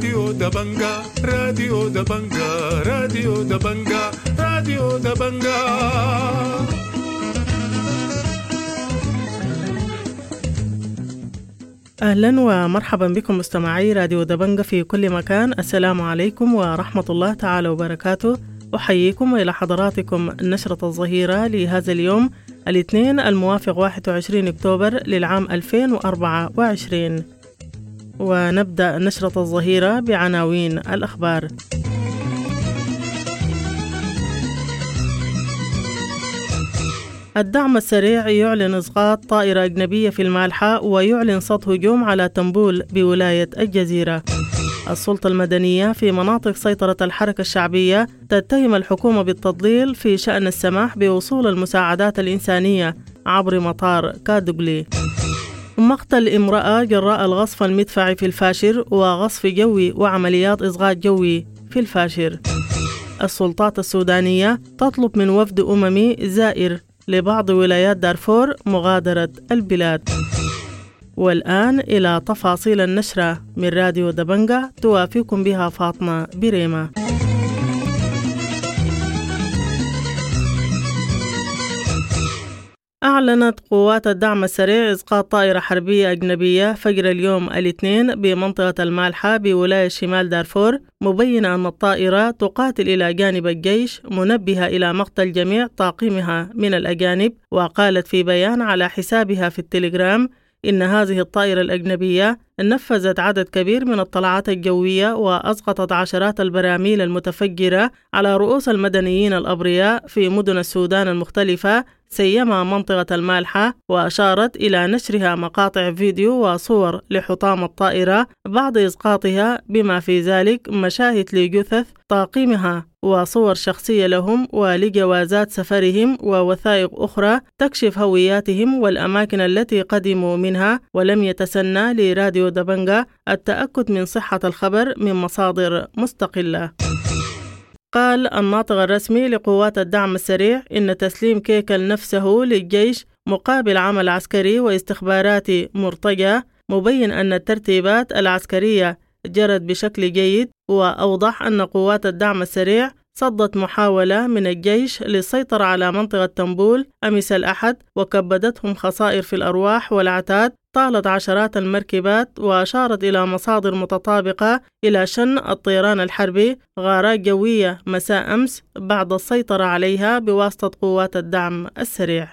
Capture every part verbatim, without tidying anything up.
راديو دبنجا، راديو دبنجا، راديو دبنجا، راديو دبنجا. أهلا ومرحبا بكم مستمعي راديو دبنجا في كل مكان. السلام عليكم ورحمة الله تعالى وبركاته. أحييكم وإلى حضراتكم نشرة الظهيرة لهذا اليوم الاثنين الموافق واحد وعشرين أكتوبر للعام ألفين وأربعة وعشرين. ونبدأ نشرة الظهيرة بعناوين الأخبار. الدعم السريع يعلن إسقاط طائرة أجنبية في المالحة ويعلن صد هجوم على تنبول بولاية الجزيرة. السلطة المدنية في مناطق سيطرة الحركة الشعبية تتهم الحكومة بالتضليل في شأن السماح بوصول المساعدات الإنسانية عبر مطار كادوغلي. مقتل امرأة جراء الغصف المدفعي في الفاشر وغصف جوي وعمليات إسقاط جوي في الفاشر. السلطات السودانية تطلب من وفد أممي زائر لبعض ولايات دارفور مغادرة البلاد. والآن إلى تفاصيل النشرة من راديو دبنجا توافيكم بها فاطمة بريمة. أعلنت قوات الدعم السريع إسقاط طائرة حربية أجنبية فجر اليوم الاثنين بمنطقة المالحة بولاية شمال دارفور، مبينة أن الطائرة تقاتل إلى جانب الجيش، منبهة إلى مقتل جميع طاقمها من الأجانب. وقالت في بيان على حسابها في التليجرام إن هذه الطائرة الأجنبية نفذت عدد كبير من الطلعات الجوية وأسقطت عشرات البراميل المتفجرة على رؤوس المدنيين الأبرياء في مدن السودان المختلفة، سيما منطقة المالحة. وأشارت إلى نشرها مقاطع فيديو وصور لحطام الطائرة بعد إسقاطها، بما في ذلك مشاهد لجثث طاقمها وصور شخصية لهم ولجوازات سفرهم ووثائق أخرى تكشف هوياتهم والأماكن التي قدموا منها. ولم يتسنى لراديو دبنجا التأكد من صحة الخبر من مصادر مستقلة. قال الناطق الرسمي لقوات الدعم السريع إن تسليم كيكل نفسه للجيش مقابل عمل عسكري واستخباراتي مرتجى، مبين أن الترتيبات العسكرية جرت بشكل جيد. وأوضح أن قوات الدعم السريع صدت محاولة من الجيش للسيطرة على منطقة تنبول أمس الأحد، وكبدتهم خسائر في الأرواح والعتاد طالت عشرات المركبات. وأشارت إلى مصادر متطابقة إلى شن الطيران الحربي غارات جوية مساء أمس بعد السيطرة عليها بواسطة قوات الدعم السريع.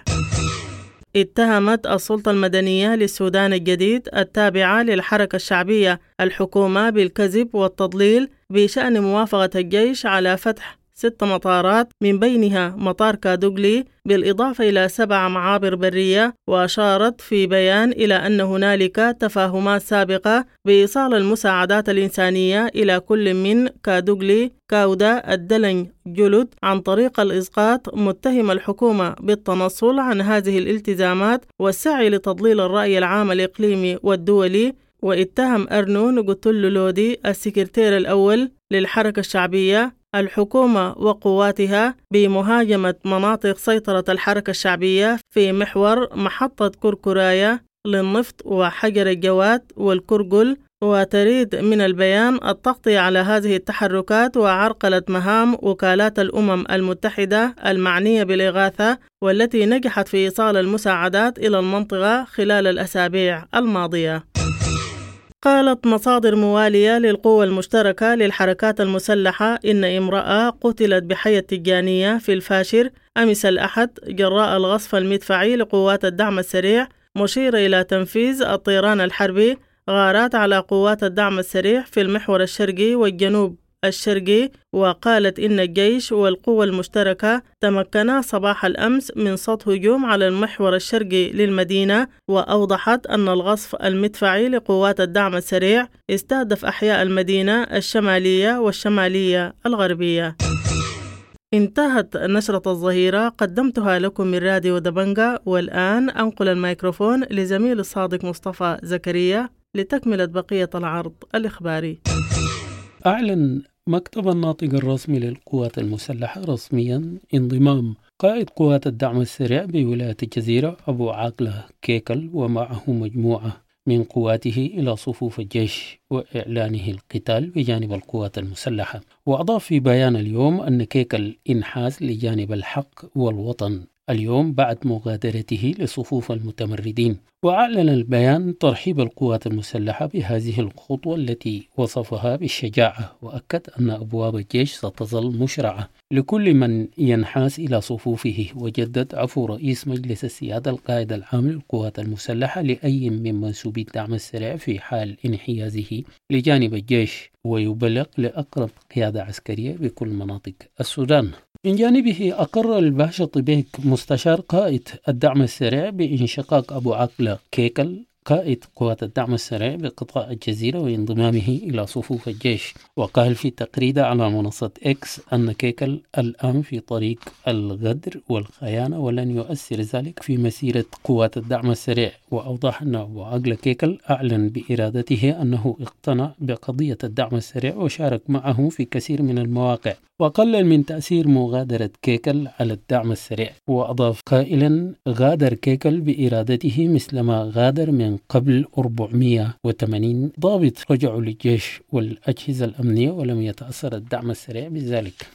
اتهمت السلطة المدنية للسودان الجديد التابعة للحركة الشعبية الحكومة بالكذب والتضليل بشأن موافقة الجيش على فتح ست مطارات من بينها مطار كادوغلي، بالإضافة إلى سبع معابر برية. وأشارت في بيان إلى أن هنالك تفاهمات سابقة بإيصال المساعدات الإنسانية إلى كل من كادوغلي، كاودا، الدلنج، جلد عن طريق الإسقاط، متهم الحكومة بالتنصل عن هذه الالتزامات والسعي لتضليل الرأي العام الإقليمي والدولي. واتهم أرنو نغوتولو لودي السكرتير الأول للحركة الشعبية الحكومة وقواتها بمهاجمة مناطق سيطرة الحركة الشعبية في محور محطة كركراية للنفط وحجر الجواد والكرجل. وتريد من البيان التغطية على هذه التحركات وعرقلة مهام وكالات الأمم المتحدة المعنية بالإغاثة والتي نجحت في إيصال المساعدات إلى المنطقة خلال الأسابيع الماضية. قالت مصادر موالية للقوى المشتركة للحركات المسلحة إن امرأة قتلت بحي التجانية في الفاشر أمس الأحد جراء الغصف المدفعي لقوات الدعم السريع، مشيرة إلى تنفيذ الطيران الحربي غارات على قوات الدعم السريع في المحور الشرقي والجنوب الشرقي. وقالت إن الجيش والقوى المشتركة تمكنا صباح الأمس من صد هجوم على المحور الشرقي للمدينة. وأوضحت أن الغصف المدفعي لقوات الدعم السريع استهدف أحياء المدينة الشمالية والشمالية الغربية. انتهت نشرة الظهيرة، قدمتها لكم من راديو دبنجا، والآن أنقل الميكروفون لزميل الصادق مصطفى زكريا لتكملة بقية العرض الإخباري. أعلن مكتب الناطق الرسمي للقوات المسلحة رسميا انضمام قائد قوات الدعم السريع بولاية الجزيرة أبو عاقلة كيكل ومعه مجموعة من قواته إلى صفوف الجيش وإعلانه القتال بجانب القوات المسلحة. وأضاف في بيان اليوم أن كيكل انحاز لجانب الحق والوطن اليوم بعد مغادرته لصفوف المتمردين. وأعلن البيان ترحيب القوات المسلحة بهذه الخطوة التي وصفها بالشجاعة، وأكد أن أبواب الجيش ستظل مشرعة لكل من ينحاز إلى صفوفه. وجدد عفو رئيس مجلس السيادة القائد العام للقوات المسلحة لأي من منسوبي الدعم السريع في حال انحيازه لجانب الجيش، ويبلغ لأقرب قيادة عسكرية بكل مناطق السودان. من جانبه أقر الباشا طبيك مستشار قائد الدعم السريع بانشقاق أبو عقلة كيكل قائد قوات الدعم السريع بقطاع الجزيرة وانضمامه إلى صفوف الجيش. وقال في تقريده على منصة إكس أن كيكل الآن في طريق الغدر والخيانة ولن يؤثر ذلك في مسيرة قوات الدعم السريع. وأوضح أن أبو عقلة كيكل أعلن بإرادته أنه اقتنع بقضية الدعم السريع وشارك معه في كثير من المواقع، وقلل من تأثير مغادرة كيكل على الدعم السريع. وأضاف قائلا: غادر كيكل بإرادته مثلما غادر من قبل أربعمئة وثمانين ضابط رجعوا للجيش والأجهزة الأمنية ولم يتأثر الدعم السريع بذلك.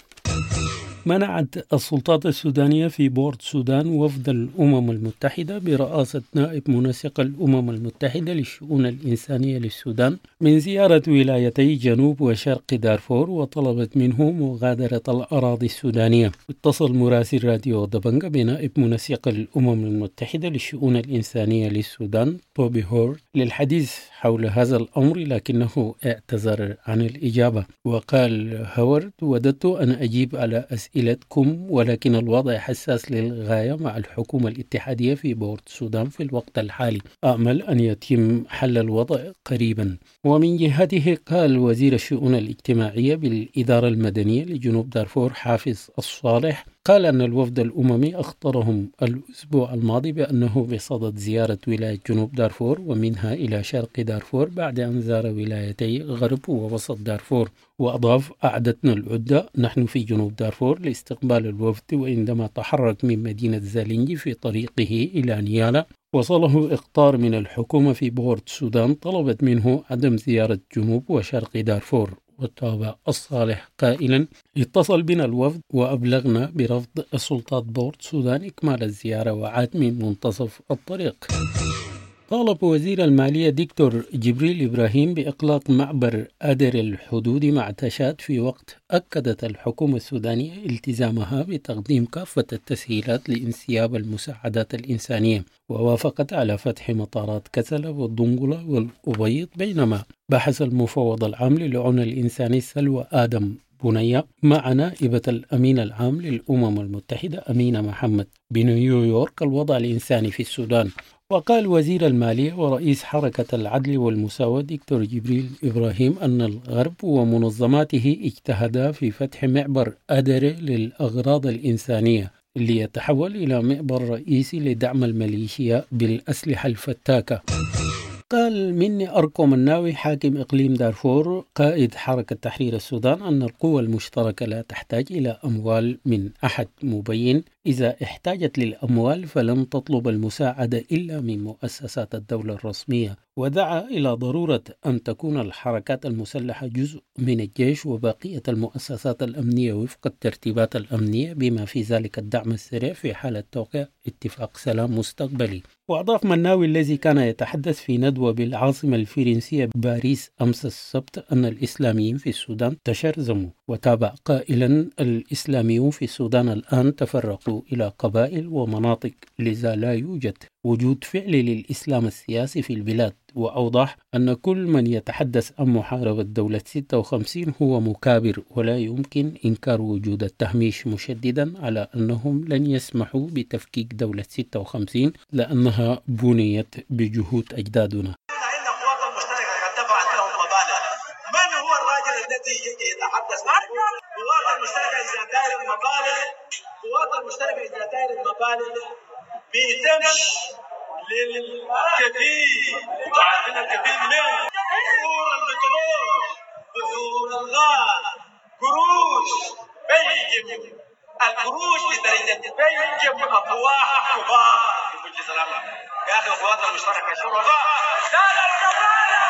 منعت السلطات السودانية في بورت سودان وفد الأمم المتحدة برئاسة نائب منسق الأمم المتحدة للشؤون الإنسانية للسودان من زيارة ولايتي جنوب وشرق دارفور، وطلبت منه مغادرة الأراضي السودانية. اتصل مراسل راديو دبنجا بنائب منسق الأمم المتحدة للشؤون الإنسانية للسودان توبي هورد للحديث حول هذا الأمر، لكنه اعتذر عن الإجابة. وقال هورد: وددت أن أجيب على أسئلة أسئلتكم، ولكن الوضع حساس للغاية مع الحكومة الاتحادية في بورت السودان في الوقت الحالي. آمل أن يتم حل الوضع قريبا. ومن جهته قال وزير الشؤون الاجتماعية بالإدارة المدنية لجنوب دارفور حافظ الصالح، قال أن الوفد الأممي أخطرهم الأسبوع الماضي بأنه بصدد زيارة ولاية جنوب دارفور ومنها إلى شرق دارفور بعد أن زار ولايتي غرب ووسط دارفور. وأضاف: أعدتنا العدة نحن في جنوب دارفور لاستقبال الوفد، وعندما تحرك من مدينة زالينجي في طريقه إلى نيالا وصله إخطار من الحكومة في بورت السودان طلبت منه عدم زيارة جنوب وشرق دارفور. وتابع الصالح قائلا: اتصل بنا الوفد وأبلغنا برفض السلطات بورت السودان إكمال الزيارة وعاد من منتصف الطريق. طالب وزير المالية دكتور جبريل إبراهيم بإغلاق معبر أدر الحدود مع تشاد في وقت أكدت الحكومة السودانية التزامها بتقديم كافة التسهيلات لانسياب المساعدات الإنسانية، ووافقت على فتح مطارات كسلة والدنقلة والأبيض. بينما بحث المفوض العام للعون الإنساني سلوى آدم بنية مع نائبة الأمين العام للأمم المتحدة أمينة محمد بنيويورك الوضع الإنساني في السودان. وقال وزير المالية ورئيس حركة العدل والمساواة دكتور جبريل إبراهيم أن الغرب ومنظماته اجتهدا في فتح معبر أدر للأغراض الإنسانية ليتحول إلى معبر رئيسي لدعم الميليشيا بالأسلحة الفتاكة. قال مني أركو مناوي حاكم إقليم دارفور قائد حركة تحرير السودان أن القوى المشتركة لا تحتاج إلى أموال من أحد، مبين إذا احتاجت للأموال فلن تطلب المساعدة إلا من مؤسسات الدولة الرسمية. ودعا إلى ضرورة أن تكون الحركات المسلحة جزء من الجيش وبقية المؤسسات الأمنية وفق الترتيبات الأمنية بما في ذلك الدعم السريع في حالة توقيع اتفاق سلام مستقبلي. وأضاف مناوي الذي كان يتحدث في ندوة بالعاصمة الفرنسية باريس أمس السبت أن الإسلاميين في السودان تشرذموا، وتابع قائلا: الإسلاميون في السودان الآن تفرقوا إلى قبائل ومناطق، لذا لا يوجد وجود فعلي للإسلام السياسي في البلاد. وأوضح أن كل من يتحدث عن محاربة دولة ستة وخمسين هو مكابر، ولا يمكن إنكار وجود التهميش، مشددا على أنهم لن يسمحوا بتفكيك دولة ستة وخمسين لأنها بنيت بجهود أجدادنا. من هو الراجل الذي يجي يتحدث عن القوات المشتركة إذا داير المبالغ؟ القوات المشتركة إذا داير المبالغ بتمشي للكفيل، عارفين الكفيل من بحور البترول، بحور الغاز، قروش بيجب القروش لدرجة بيجب أفواه كبار. في ظلامنا. يا اخي القوات المشتركه شرفاء. لا للكفاله.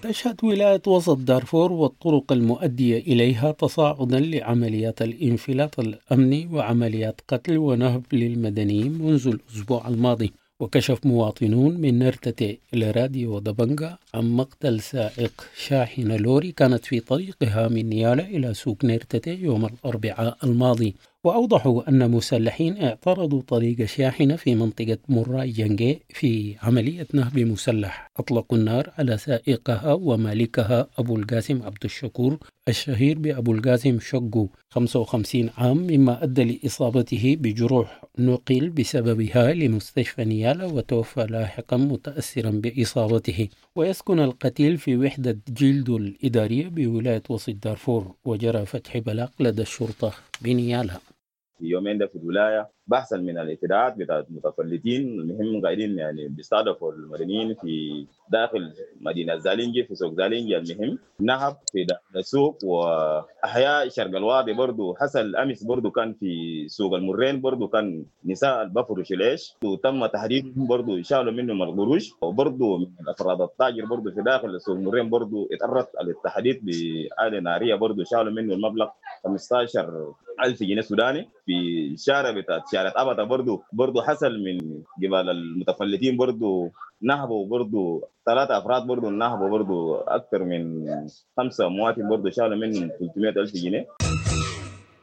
تشهد ولاية وسط دارفور والطرق المؤدية إليها تصاعدا لعمليات الانفلات الأمني وعمليات قتل ونهب للمدنيين منذ الأسبوع الماضي. وكشف مواطنون من نرتة لراديو دبنجا عن مقتل سائق شاحنة لوري كانت في طريقها من نيالا إلى سوق نرتة يوم الأربعاء الماضي. وأوضحوا أن مسلحين اعترضوا طريق شاحنة في منطقة موراي جنجي في عملية نهب مسلح، أطلقوا النار على سائقها ومالكها أبو القاسم عبد الشكور الشهير بأبو القاسم شقو خمسة وخمسين عام، مما أدى لإصابته بجروح نقل بسببها لمستشفى نيالا وتوفى لاحقا متأثرا بإصابته. ويسكن القتيل في وحدة جلدو الإدارية بولاية وسط دارفور، وجرى فتح بلاغ لدى الشرطة بنيالا. في يومين ده في الولاية بحثا من الاعتداءات بتاعت المتفلتين، المهم قاعدين يعني بيستهدفوا المدنيين في داخل مدينة زالينجي في سوق زالينجي، المهم نهب في داخل السوق وأحياء شرق الوادي برضو حصل أمس برضو كان في سوق المرين برضو كان نساء البفرش العيش وتم تهديدهم برضو شالوا منهم القروش، وبرضو من الأفراد التاجر برضو في داخل سوق المرين برضو اتعرض للتهديد بآلة نارية برضو شالوا منه المبلغ خمسة عشر ألف جنيه سوداني. في الشارع بتاعت شارع أبدا برضو برضو حصل من قبل المتفلتين برضو نهبوا برضو ثلاثة أفراد برضو نهبوا برضو أكثر من خمسة مواطن برضو شالوا منهم ثلاثمائة ألف جنيه.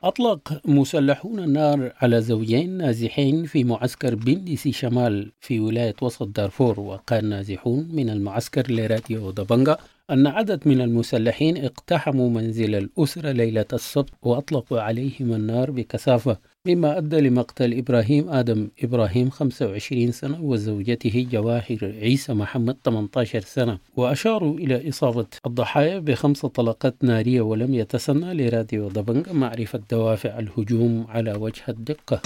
أطلق مسلحون النار على زوجين نازحين في معسكر بندسي شمال في ولاية وسط دارفور. وقال نازحون من المعسكر لراديو دبنجا أن عدد من المسلحين اقتحموا منزل الأسرة ليلة السبت وأطلقوا عليهم النار بكثافة، مما أدى لمقتل إبراهيم آدم إبراهيم خمسة وعشرين سنة وزوجته جواهر عيسى محمد ثمانية عشر سنة. وأشاروا إلى إصابة الضحايا بخمس طلقات نارية، ولم يتسنى لراديو دبنجا معرفة دوافع الهجوم على وجه الدقة.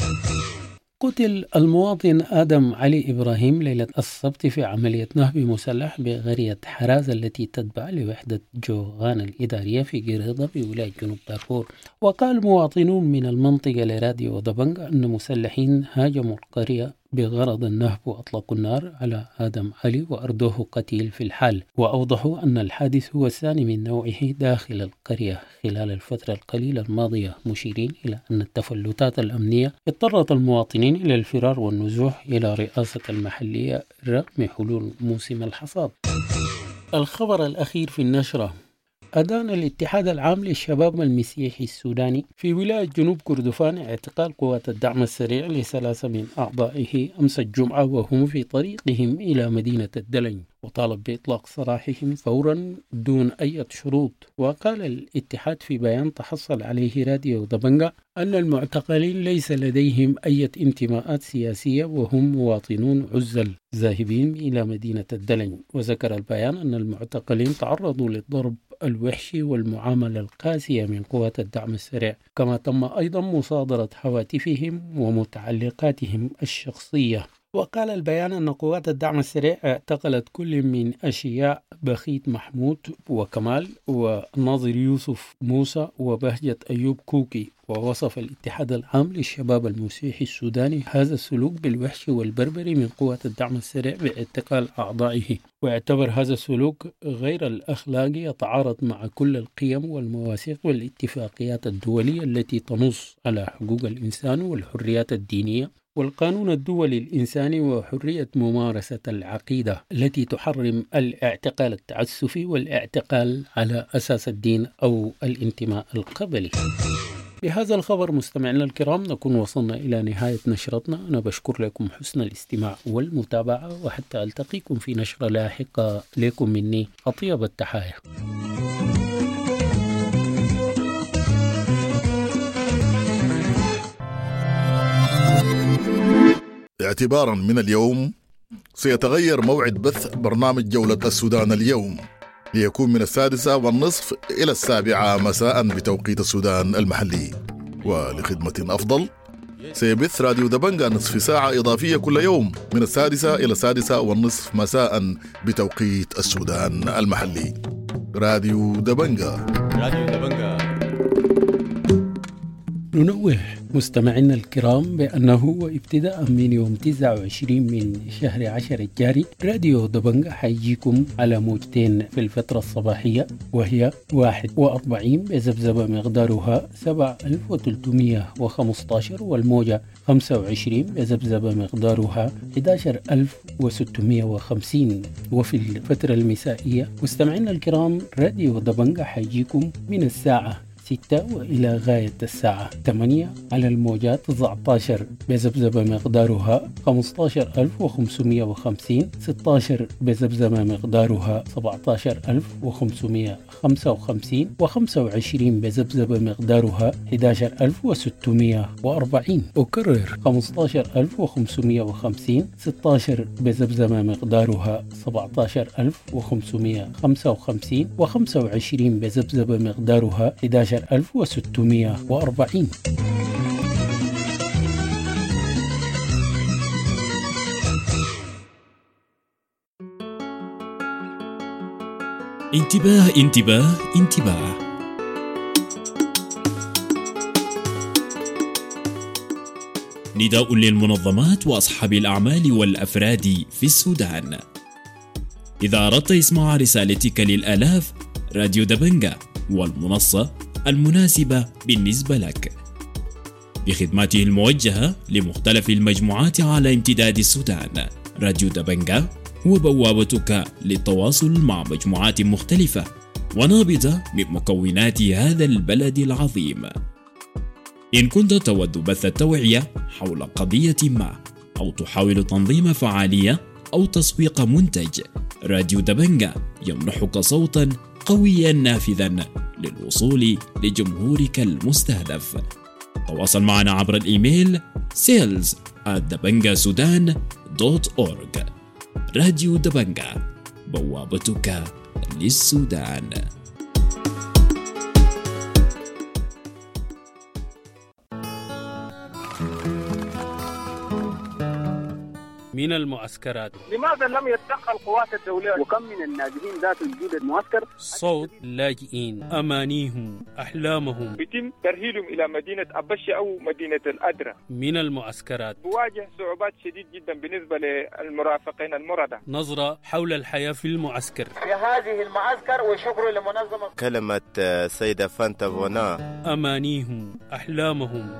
قتل المواطن آدم علي إبراهيم ليلة السبت في عملية نهب مسلح بقرية حراز التي تتبع لوحدة جوغان الإدارية في قريضة بولاية جنوب دارفور. وقال مواطنون من المنطقة لراديو دبنجا أن مسلحين هاجموا القرية بغرض النهب وأطلقوا النار على آدم علي وأردوه قتيل في الحال. وأوضحوا أن الحادث هو الثاني من نوعه داخل القرية خلال الفترة القليلة الماضية، مشيرين إلى أن التفلتات الأمنية اضطرت المواطنين إلى الفرار والنزوح إلى رئاسة المحلية رغم حلول موسم الحصاد. الخبر الأخير في النشرة: أدان الاتحاد العام للشباب المسيحي السوداني في ولاية جنوب كردفان اعتقال قوات الدعم السريع لثلاثة من أعضائه أمس الجمعة وهم في طريقهم إلى مدينة الدلنج، وطالب بإطلاق سراحهم فورا دون أي شروط. وقال الاتحاد في بيان تحصل عليه راديو دبنجا أن المعتقلين ليس لديهم أي انتماءات سياسية وهم مواطنون عزل ذاهبين إلى مدينة الدلنج. وذكر البيان أن المعتقلين تعرضوا للضرب الوحشي والمعاملة القاسية من قوات الدعم السريع، كما تم أيضا مصادرة هواتفهم ومتعلقاتهم الشخصية. وقال البيان أن قوات الدعم السريع اعتقلت كل من أشياء بخيت محمود وكمال وناظر يوسف موسى وبهجة أيوب كوكي. ووصف الاتحاد العام للشباب المسيحي السوداني هذا السلوك بالوحش والبربري من قوات الدعم السريع باعتقال أعضائه، واعتبر هذا السلوك غير الأخلاقي يتعارض مع كل القيم والمواثيق والاتفاقيات الدولية التي تنص على حقوق الإنسان والحريات الدينية والقانون الدولي الإنساني وحرية ممارسة العقيدة التي تحرم الاعتقال التعسفي والاعتقال على أساس الدين أو الانتماء القبلي. بهذا الخبر مستمعينا الكرام نكون وصلنا إلى نهاية نشرتنا. أنا بشكر لكم حسن الاستماع والمتابعة، وحتى ألتقيكم في نشرة لاحقة لكم مني أطيب التحايا. اعتبارا من اليوم سيتغير موعد بث برنامج جولة السودان اليوم ليكون من السادسة والنصف إلى السابعة مساء بتوقيت السودان المحلي. ولخدمة أفضل سيبث راديو دبنجا نصف ساعة إضافية كل يوم من السادسة إلى السادسة والنصف مساء بتوقيت السودان المحلي. راديو دبنجا، راديو دبنجا. ننوه مستمعينا الكرام بأنه وابتداء من يوم تسعة وعشرين من شهر عشر الجاري راديو دبنجا حيجيكم على موجتين في الفترة الصباحية، وهي واحد وأربعين بذبذبة مقدارها سبعة آلاف وثلاثمية وخمسة عشر، والموجة خمسة وعشرين بذبذبة مقدارها أحد عشر ألف وستمية وخمسين. وفي الفترة المسائية مستمعينا الكرام راديو دبنجا حيجيكم من الساعة ستة وإلى غاية الساعة ثمانية على الموجات تسعة عشر بذبذبة مقدارها خمسة عشر ألف وخمسمية وخمسين، ستة عشر بذبذبة مقدارها سبعة عشر ألف وخمسمية وخمسة وخمسين، وخمسة وعشرين بذبذبة مقدارها أحد عشر ألف وستمية وأربعين. أكرر، خمسة عشر ألف وخمسمية وخمسين، ستة عشر بذبذبة مقدارها سبعة عشر ألف وخمسمية وخمسة وخمسين، وخمسة وعشرين بذبذبة مقدارها أحد عشر ألف وستمية وأربعين. انتباه انتباه انتباه! نداء للمنظمات وأصحاب الأعمال والأفراد في السودان. إذا أردت إسماع رسالتك للآلاف، راديو دبنجا والمنصة المناسبة بالنسبة لك بخدماته الموجهة لمختلف المجموعات على امتداد السودان. راديو دبنجا هو بوابتك للتواصل مع مجموعات مختلفة ونابضة من مكونات هذا البلد العظيم. إن كنت تود بث التوعية حول قضية ما، أو تحاول تنظيم فعالية، أو تسويق منتج، راديو دبنجا يمنحك صوتا قويا نافذا للوصول لجمهورك المستهدف. تواصل معنا عبر الإيميل sales at dabangasudan dot org. راديو دبنجا، بوابتك للسودان. من المعسكرات. لماذا لم يتدخل القوات الدولية؟ وكم من النازحين ذات وجود المعسكر. صوت لاجئين، أمانيهم، أحلامهم. بيتم ترحيلهم إلى مدينة أبشي أو مدينة الأدرة. من المعسكرات. بواجه صعوبات شديد جدا بالنسبة للمرافقين المرضى. نظرة حول الحياة في المعسكر. في هذه المعسكر، وشكر لمنظمة. كلمة السيدة فانتا فونا. أمانيهم، أحلامهم.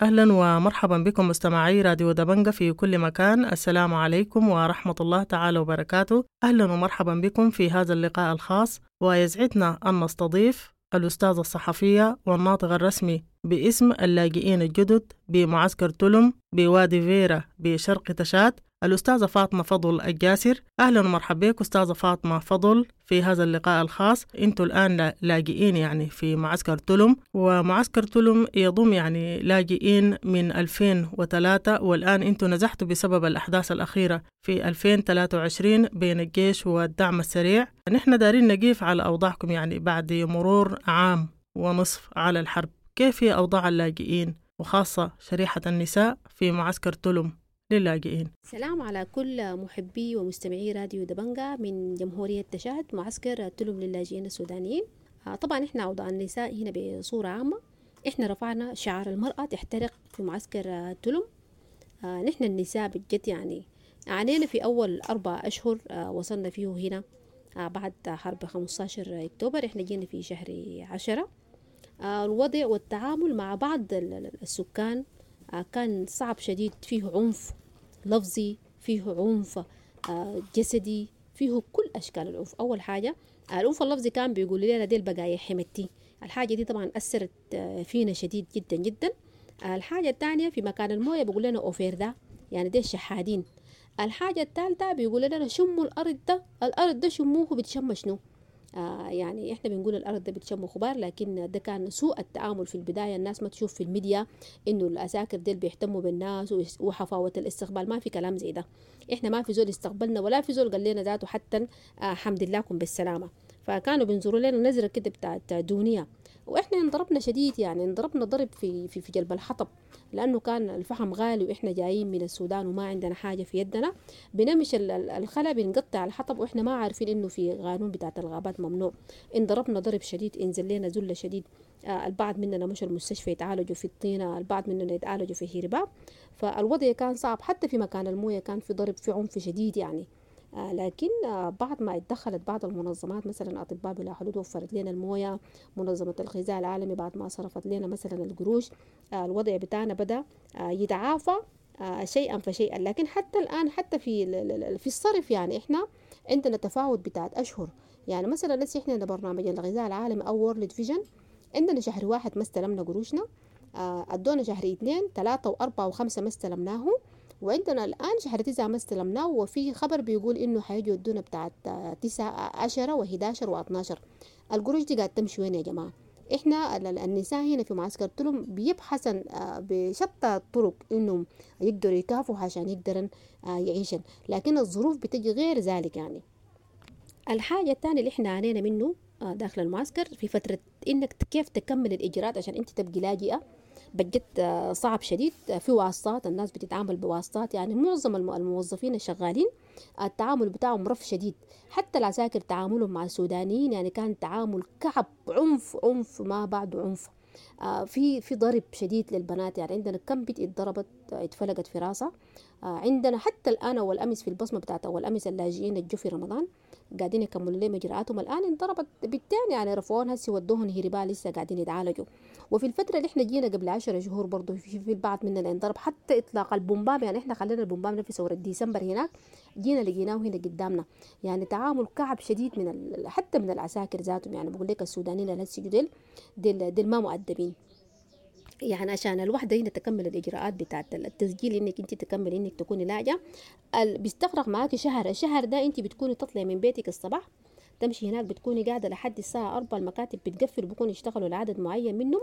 أهلا ومرحبا بكم مستمعي راديو دبنجا في كل مكان، السلام عليكم ورحمة الله تعالى وبركاته. أهلا ومرحبا بكم في هذا اللقاء الخاص، ويسعدنا أن نستضيف الأستاذة الصحفية والناطق الرسمي باسم اللاجئين الجدد بمعسكر تلم بوادي فيرا بشرق تشاد، الأستاذة فاطمة فضل الجاسر. أهلا ومرحبا بك أستاذة فاطمة فضل في هذا اللقاء الخاص. أنتم الآن لاجئين يعني في معسكر تلم، ومعسكر تلم يضم يعني لاجئين من ألفين وثلاثة، والآن أنتم نزحتوا بسبب الأحداث الأخيرة في ألفين وثلاثة وعشرين بين الجيش والدعم السريع. نحن دارين نقيف على أوضاعكم يعني بعد مرور عام ونصف على الحرب، كيف هي أوضاع اللاجئين وخاصة شريحة النساء في معسكر تلم للاجئين؟ سلام على كل محبي ومستمعي راديو دبنجا من جمهورية تشاد، معسكر تلم للاجئين السودانيين. طبعا احنا أوضاع النساء هنا بصورة عامة، احنا رفعنا شعار المرأة تحترق في معسكر تلم. نحن النساء بجد يعني عانينا في أول أربع أشهر وصلنا فيه هنا بعد حرب خمسة عشر أكتوبر. احنا جينا في شهر عشرة. الوضع والتعامل مع بعض السكان كان صعب شديد، فيه عنف لفظي، فيه عنف جسدي، فيه كل أشكال العنف. أول حاجة العنف اللفظي، كان بيقول لنا ديل بقايا حمدتي. الحاجة دي طبعا أثرت فينا شديد جدا جدا. الحاجة الثانية، في مكان الموية بيقول لنا أوفير ده، يعني ديل شحادين. الحاجة الثالثة بيقول لنا شموا الأرض ده، الأرض ده شموه بتشم شنو؟ آه يعني احنا بنقول الارض ده بتشم خبار، لكن ده كان سوء التعامل في البدايه. الناس ما تشوف في الميديا انه العساكر ديل بيهتموا بالناس وحفاوه الاستقبال، ما في كلام زي ده. احنا ما في زول استقبلنا ولا في زول قال لنا ذاته حتى آه حمد لله لكم بالسلامه. فكانوا بينظروا لنا نظره كده بتاعت دونيه. وإحنا انضربنا شديد، يعني انضربنا ضرب في في في جلب الحطب، لأنه كان الفحم غالي وإحنا جايين من السودان وما عندنا حاجة في يدنا. بنمشي الخلا بنقطع الحطب وإحنا ما عارفين إنه في قانون بتاعت الغابات ممنوع. انضربنا ضرب شديد، انزل لنا ذلة شديد. آه البعض مننا مشوا المستشفى يتعالجوا في الطينة، البعض مننا يتعالجوا في هرباب. فالوضع كان صعب، حتى في مكان الموية كان في ضرب، في عنف شديد يعني. آه لكن آه بعد ما اتدخلت بعض المنظمات، مثلا أطباء بلا حدود وفرت لنا الموية، منظمة الغذاء العالمي بعد ما صرفت لنا مثلا القروش، آه الوضع بتاعنا بدأ آه يتعافى آه شيئا فشيئا. لكن حتى الآن حتى في في الصرف يعني إحنا عندنا تفاوت بتاعت أشهر. يعني مثلا لسه إحنا برنامج الغذاء العالمي أو World Vision عندنا شهر واحد ما استلمنا قروشنا، آه أدونا شهر اثنين ثلاثة وأربعة وخمسة ما استلمناه، وعندنا الآن شهر تسعة ما استلمناه، وفي خبر بيقول إنه حيجوا يدونا بتاعت تسعة عشرة وحداشر واثناشر. القروش دي قاعد تمشي وين يا جماعة؟ إحنا النساء هنا في معسكر تلم بيبحثن بشتى الطرق إنهم يقدروا يكافوا عشان يقدرن يعيشن، لكن الظروف بتجي غير ذلك. يعني الحاجة الثانية اللي إحنا عانينا منه داخل المعسكر في فترة إنك كيف تكمل الإجراءات عشان أنت تبقي لاجئة، بجد صعب شديد. في واسطات، الناس بتتعامل بواسطات، يعني معظم الموظفين الشغالين التعامل بتاعهم رف شديد. حتى العساكر تعاملهم مع السودانيين يعني كان تعامل كعب، عنف عنف ما بعده عنف. آه في في ضرب شديد للبنات، يعني عندنا كم بنت اتضربت اتفلقت في راسها. آه عندنا حتى الآن أول أمس في البصمة بتاعت أول أمس اللاجئين الجو في رمضان قاعدين يكملوا لهم إجراءاتهم الآن، انضربت بالتاني يعني رفعوهن هسي ودوهن هربا لسه قاعدين يتعالجوا. وفي الفترة اللي احنا جينا قبل عشرة شهور برضو في, في البعض مننا انضرب، حتى إطلاق البومبام، يعني احنا خلينا البومبام في ثورة ديسمبر هناك جينا لقيناه هنا قدامنا. يعني تعامل كعب شديد من ال... حتى من العساكر ذاتهم. يعني بقول لك السودانيين اللي هسي ديل ديل, ديل ما مؤدبين. يعني عشان الوحدة هنا تكمل الإجراءات بتاعت التسجيل إنك أنت تكمل إنك تكوني لاجئة، بيستغرق معاكي شهر. الشهر ده أنت بتكوني تطلعي من بيتك الصباح تمشي هناك، بتكوني قاعدة لحد الساعة أربعة، المكاتب بتقفل وبكون يشتغلوا لعدد معين منهم،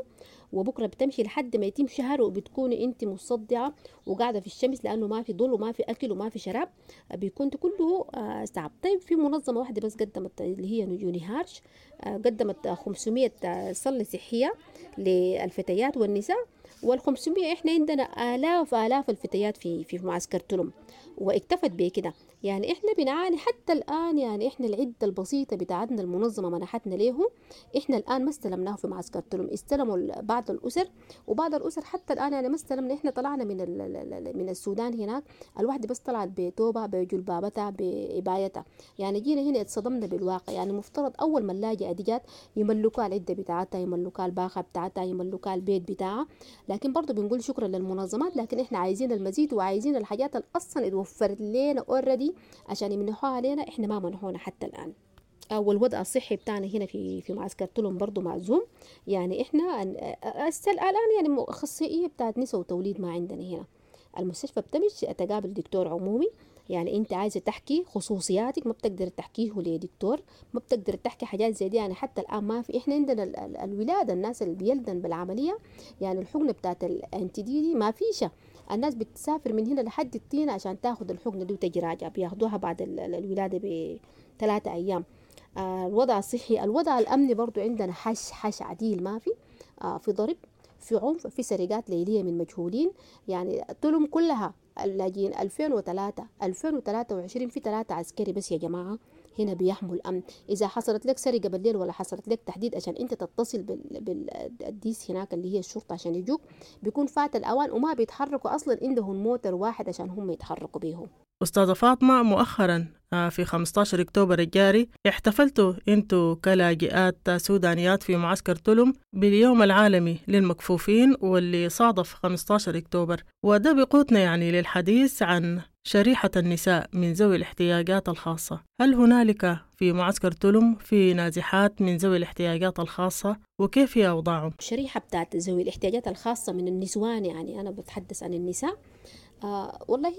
وبكرة بتمشي لحد ما يتم شهر، وبتكوني أنت مصدعة وقاعدة في الشمس لأنه ما في ظل وما في أكل وما في شراب، بيكون كله صعب. طيب في منظمة واحدة بس قدمت اللي هي يونيهارش، قدمت خمسمية صلة صحية للفتيات والنساء، والخمسمية احنا عندنا آلاف آلاف الفتيات في في معسكر تلم، واكتفت بكده. يعني احنا بنعاني حتى الآن، يعني احنا العدة البسيطة بتاعتنا المنظمة منحتنا ليه احنا الآن ما استلمناه في معسكر تلم، استلموا بعض الأسر، وبعض الأسر حتى الآن يعني ما استلمنا. احنا طلعنا من من السودان هناك الواحدة بس طلعت بتوبة بجلبابتها بإبايتها، يعني جينا هنا اتصدمنا بالواقع. يعني مفترض أول ما اللاجئة دي جات يملكوها العدة بتاعتها، يملكوها الباخة بتاعتها، يملكوها البيت بتاعها. لكن برضو بنقول شكرا للمنظمات، لكن احنا عايزين المزيد وعايزين الحاجات اللي اصلا اتوفرت لنا already عشان يمنحوها علينا، احنا ما منحونا حتى الان. والوضع الصحي بتاعنا هنا في في معسكر تلم برضو معزوم. يعني احنا الان يعني اخصائيه بتاعت نساء وتوليد ما عندنا هنا. المستشفى بتمشي تقابل دكتور عمومي، يعني انت عايزه تحكي خصوصياتك ما بتقدر تحكيه لدكتور، ما بتقدر تحكي حاجات زي دي. يعني حتى الان ما في، احنا عندنا الولاده الناس اللي بيلدن بالعمليه يعني الحقنه بتاعت ال anti-D دي ما فيش، الناس بتسافر من هنا لحد الطينه عشان تاخذ الحقنه دي وتجي راجعه، بياخدوها بعد الولاده بثلاثة ايام. آه الوضع الصحي، الوضع الامني برضو عندنا حش حش عديل ما في، آه في ضرب، في عنف، في سرقات ليليه من مجهولين. يعني تلم كلها اللاجئين ألفين وثلاثة ألفين وثلاثة وعشرين في ثلاثة عسكري بس يا جماعة هنا بيحموا الأمن. إذا حصلت لك سرقة بالليل ولا حصلت لك تحديد عشان أنت تتصل بالديس هناك اللي هي الشرطة عشان يجوك، بيكون فات الأوان وما بيتحركوا أصلا، عندهم موتر واحد عشان هم يتحركوا بيه. أستاذة فاطمة، مؤخرا في خمسة عشر أكتوبر الجاري احتفلتوا أنتوا كلاجئات سودانيات في معسكر تلم باليوم العالمي للمكفوفين واللي صادف خمسة عشر أكتوبر، وده بقوتنا يعني للحديث عن شريحة النساء من ذوي الاحتياجات الخاصة. هل هنالك في معسكر تلم في نازحات من ذوي الاحتياجات الخاصة وكيف هي أوضاعهم؟ الشريحة بتاعت ذوي الاحتياجات الخاصة من النسوان، يعني أنا بتحدث عن النساء، آه والله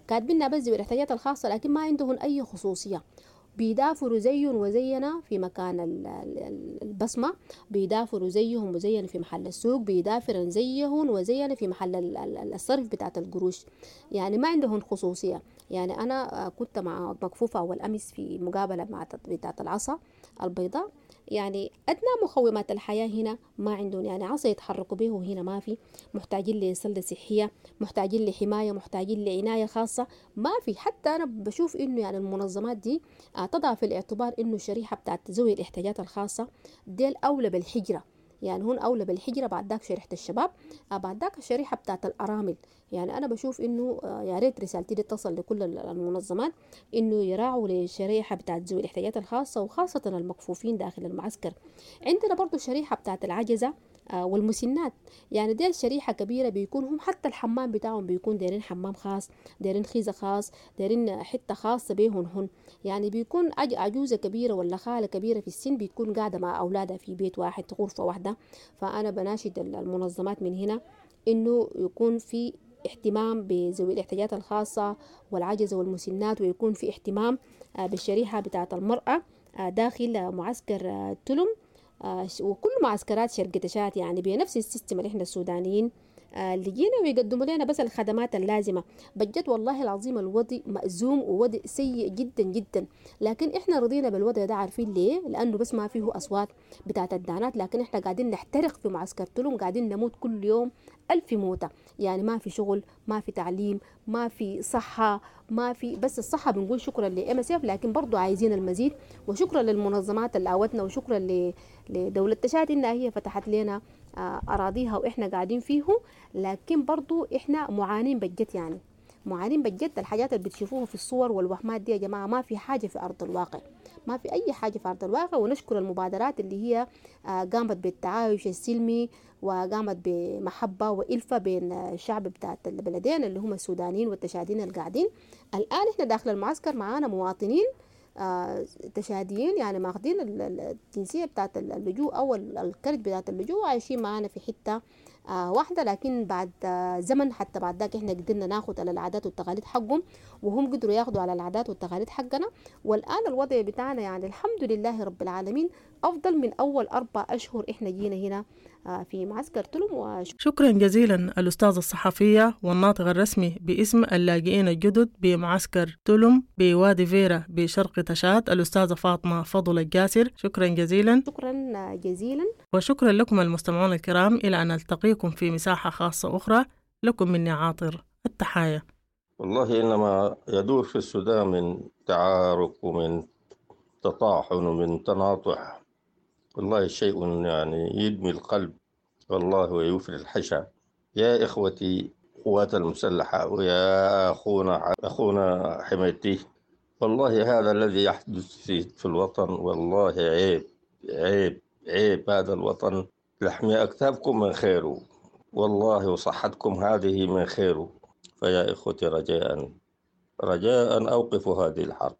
كاتبيننا بس ذوي الاحتياجات الخاصة، لكن ما عندهم أي خصوصية. بيدافروا زيهم وزينا في مكان البصمة، بيدافروا زيهم وزينا في محل السوق، بيدافرن زيهم وزينا في محل الصرف بتاعت القروش. يعني ما عندهم خصوصية. يعني أنا كنت مع مكفوفة أول أمس في مقابلة مع بتاعت العصا البيضاء، يعني أدنى مقومات الحياة هنا ما عندهم، يعني عصا يتحركوا به هنا ما في، محتاجين لسلة صحية، محتاجين لحماية، محتاجين لعناية خاصة ما في. حتى أنا بشوف إنه يعني المنظمات دي تضع في الاعتبار إنه الشريحة بتاعت ذوي الاحتياجات الخاصة ديل أولى بالحجرة، يعني هون أولى بالحجرة، بعد ذاك شريحة الشباب، بعد ذاك الشريحة بتاعت الأرامل. يعني أنا بشوف إنه يا ريت رسالتي دي تصل لكل المنظمات إنه يراعوا للشريحة بتاعت ذوي الاحتياجات الخاصة وخاصة المكفوفين داخل المعسكر. عندنا برضو الشريحة بتاعت العجزة والمسنات، يعني دي شريحة كبيرة بيكون هم حتى الحمام بتاعهم بيكون دايرين حمام خاص، دايرين خيزة خاص، دايرين حتة خاصة بيهن هن. يعني بيكون عجوزة كبيرة ولا خالة كبيرة في السن بيكون قاعدة مع أولادها في بيت واحد غرفة واحدة. فأنا بناشد المنظمات من هنا إنه يكون في اهتمام بذوي الاحتياجات الخاصة والعجزة والمسنات، ويكون في اهتمام بالشريحة بتاعة المرأة داخل معسكر تلم وكل معسكرات شرق تشاد، يعني بنفس ال system اللي احنا السودانيين اللي جينا ويقدموا لنا بس الخدمات اللازمة. بجد والله العظيم الوضع مأزوم ووضع سيء جدا جدا، لكن احنا رضينا بالوضع ده. عارفين ليه؟ لأنه بس ما فيه أصوات بتاعت الدانات، لكن احنا قاعدين نحترق في معسكر تلم، قاعدين نموت كل يوم ألف موتة. يعني ما في شغل، ما في تعليم، ما في صحة، ما في بس الصحة بنقول شكرا ل MSF، لكن برضو عايزين المزيد. وشكرا للمنظمات اللي آوتنا، وشكرا لدولة تشاد إنها هي فتحت لنا أراضيها وإحنا قاعدين فيه، لكن برضو إحنا معانين بجد، يعني معانين بجد. الحاجات اللي بتشوفوها في الصور والوهمات دي يا جماعة ما في حاجة في أرض الواقع، ما في أي حاجة في أرض الواقع. ونشكر المبادرات اللي هي قامت بالتعايش السلمي وقامت بمحبة وإلفة بين الشعب بتاعت البلدين اللي هم السودانيين والتشاديين القاعدين. الآن إحنا داخل المعسكر معانا مواطنين تشاديين، يعني ماخدين الجنسية بتاعت اللجوء أو الكرت بتاعت اللجوء، عايشين معانا في حتة واحدة. لكن بعد زمن حتى بعد ذاك احنا قدرنا ناخد على العادات والتقاليد حقهم، وهم قدروا ياخدوا على العادات والتقاليد حقنا. والآن الوضع بتاعنا يعني الحمد لله رب العالمين أفضل من أول أربع أشهر احنا جينا هنا في معسكر تلم. وش... شكرا جزيلا الأستاذة الصحفية والناطق الرسمي باسم اللاجئين الجدد بمعسكر تلم بوادي فيرا بشرق تشاد الأستاذة فاطمة فضل الجاسر، شكرا جزيلا. شكرا جزيلا، وشكرا لكم المستمعون الكرام. إلى أن نلتقيكم في مساحة خاصة أخرى، لكم مني عاطر التحايا. والله إنما يدور في السودان من تعارك ومن تطاحن ومن تناطح، والله شيء يعني يدمي القلب والله ويفري الحشا. يا إخوتي قوات المسلحة ويا أخونا أخونا حميتي، والله هذا الذي يحدث في, في الوطن والله عيب عيب عيب. هذا الوطن لحمي أكتافكم من خيره والله، وصحتكم هذه من خيره. فيا إخوتي رجاء رجاء أوقفوا هذه الحرب،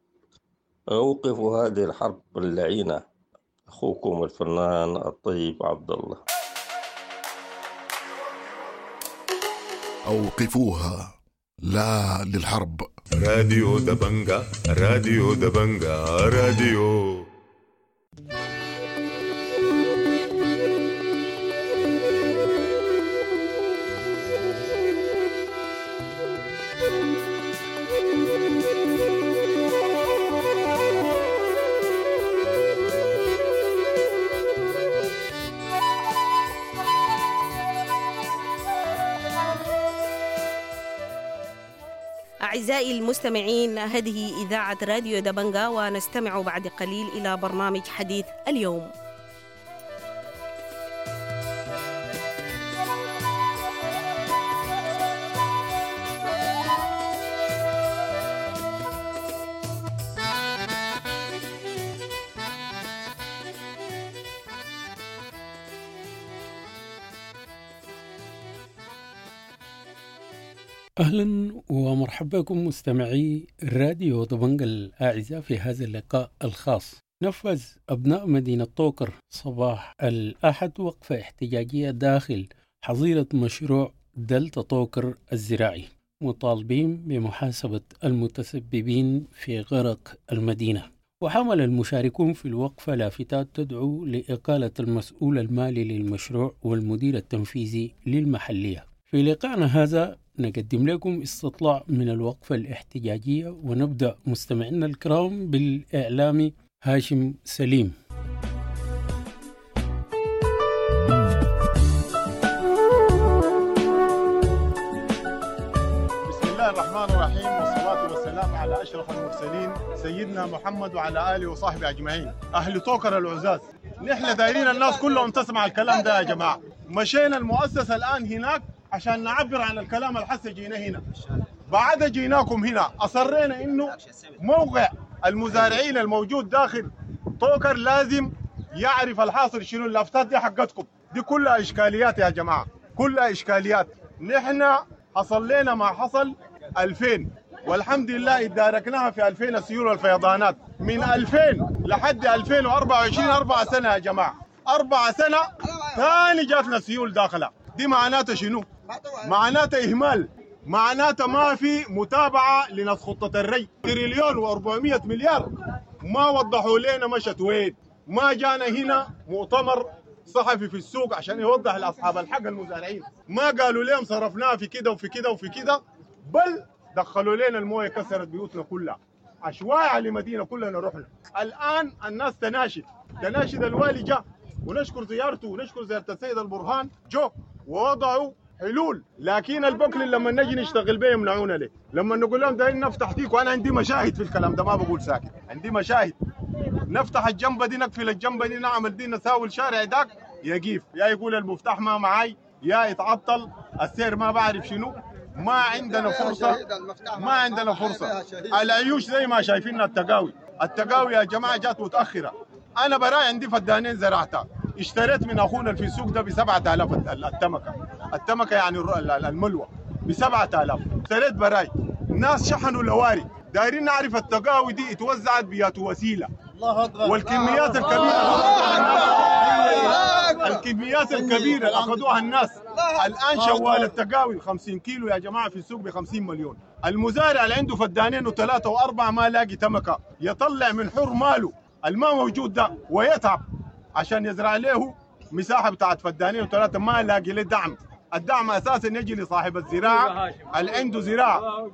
أوقفوا هذه الحرب اللعينة. أخوكم الفنان الطيب عبد الله. أوقفوها، لا للحرب. راديو دبنجا، راديو دبنجا، راديو. أعزائي المستمعين، هذه إذاعة راديو دبنجا، ونستمع بعد قليل إلى برنامج حديث اليوم. أهلا ومرحبا بكم مستمعي راديو دبنجا الأعزاء في هذا اللقاء الخاص. نفذ أبناء مدينة طوكر صباح الأحد وقفة احتجاجية داخل حظيرة مشروع دلتا طوكر الزراعي، مطالبين بمحاسبة المتسببين في غرق المدينة. وحمل المشاركون في الوقفة لافتات تدعو لإقالة المسؤول المالي للمشروع والمدير التنفيذي للمحلية. في لقائنا هذا نقدم لكم استطلاع من الوقفة الاحتجاجية، ونبدأ مستمعينا الكرام بالإعلامي هاشم سليم. أشرف المرسلين سيدنا محمد وعلى آله وصحبه أجمعين. أهل طوكر العزاز، نحن دايرين الناس كلهم تسمع الكلام ده يا جماعة. مشينا المؤسسة الآن هناك عشان نعبر عن الكلام الحس جينا هنا، بعد جيناكم هنا أصرينا إنه موقع المزارعين الموجود داخل طوكر لازم يعرف الحاصل شنو. اللافتات دي حقتكم دي كلها إشكاليات يا جماعة، كلها إشكاليات. نحن حصل لنا ما حصل ألفين والحمد لله اداركناها في ألفين السيول والفيضانات من ألفين لحد ألفين وأربعة وعشرين، أربع سنة يا جماعة، أربع سنة ثاني جاتنا سيول داخلة. دي معناته شنو؟ معناته إهمال، معناته ما في متابعة لنص خطة الري. تريليون وأربعمية مليار ما وضحوا لنا مشت وين. ما جانا هنا مؤتمر صحفي في السوق عشان يوضح لأصحاب الحق المزارعين، ما قالوا لهم صرفناها في كده وفي كده وفي كده، بل دخلوا لنا المويه كسرت بيوتنا كلها، عشوائي على المدينة كلنا رحنا. الان الناس تناشد تناشد الوالي جاء، ونشكر زيارته ونشكر زيارة السيد البرهان، جو ووضعوا حلول. لكن البكل لما نجي نشتغل به يمنعونا ليه؟ لما نقول لهم دايرين نفتح تيك، وانا عندي مشاهد في الكلام ده ما بقول ساكت، عندي مشاهد، نفتح الجنبه دي، نقفل الجنبه دي، نعمل دي، نساوي الشارع داك يقيف، يا يقول المفتاح ما معاي، يا يتعطل السير ما بعرف شنو. ما عندنا فرصة، ما عندنا فرصة. العيوش زي ما شايفيننا التقاوي، التقاوي يا جماعة جات متأخرة. أنا براي عندي فدانين زرعتها، اشتريت من أخونا في السوق ده بسبعة آلاف التمكة، التمكة يعني الملوى بسبعة آلاف، اشتريت براي. ناس شحنوا لواري، دايرين نعرف التقاوي دي اتوزعت بيات وسيلة، والكميات الكبيرة، الكميات الكبيرة اللي أخذوها الناس. الآن شوال التقاوي خمسين كيلو يا جماعة في السوق ب خمسين مليون. المزارع اللي عنده فدانين وثلاثة وأربعة ما لاقي تمكة، يطلع من حر ماله الماء موجود ده ويتعب عشان يزرع له مساحة بتاعت فدانين وثلاثة، ما لاقي له دعم. الدعم أساسا يجي لصاحب الزراعة اللي عنده زراعة،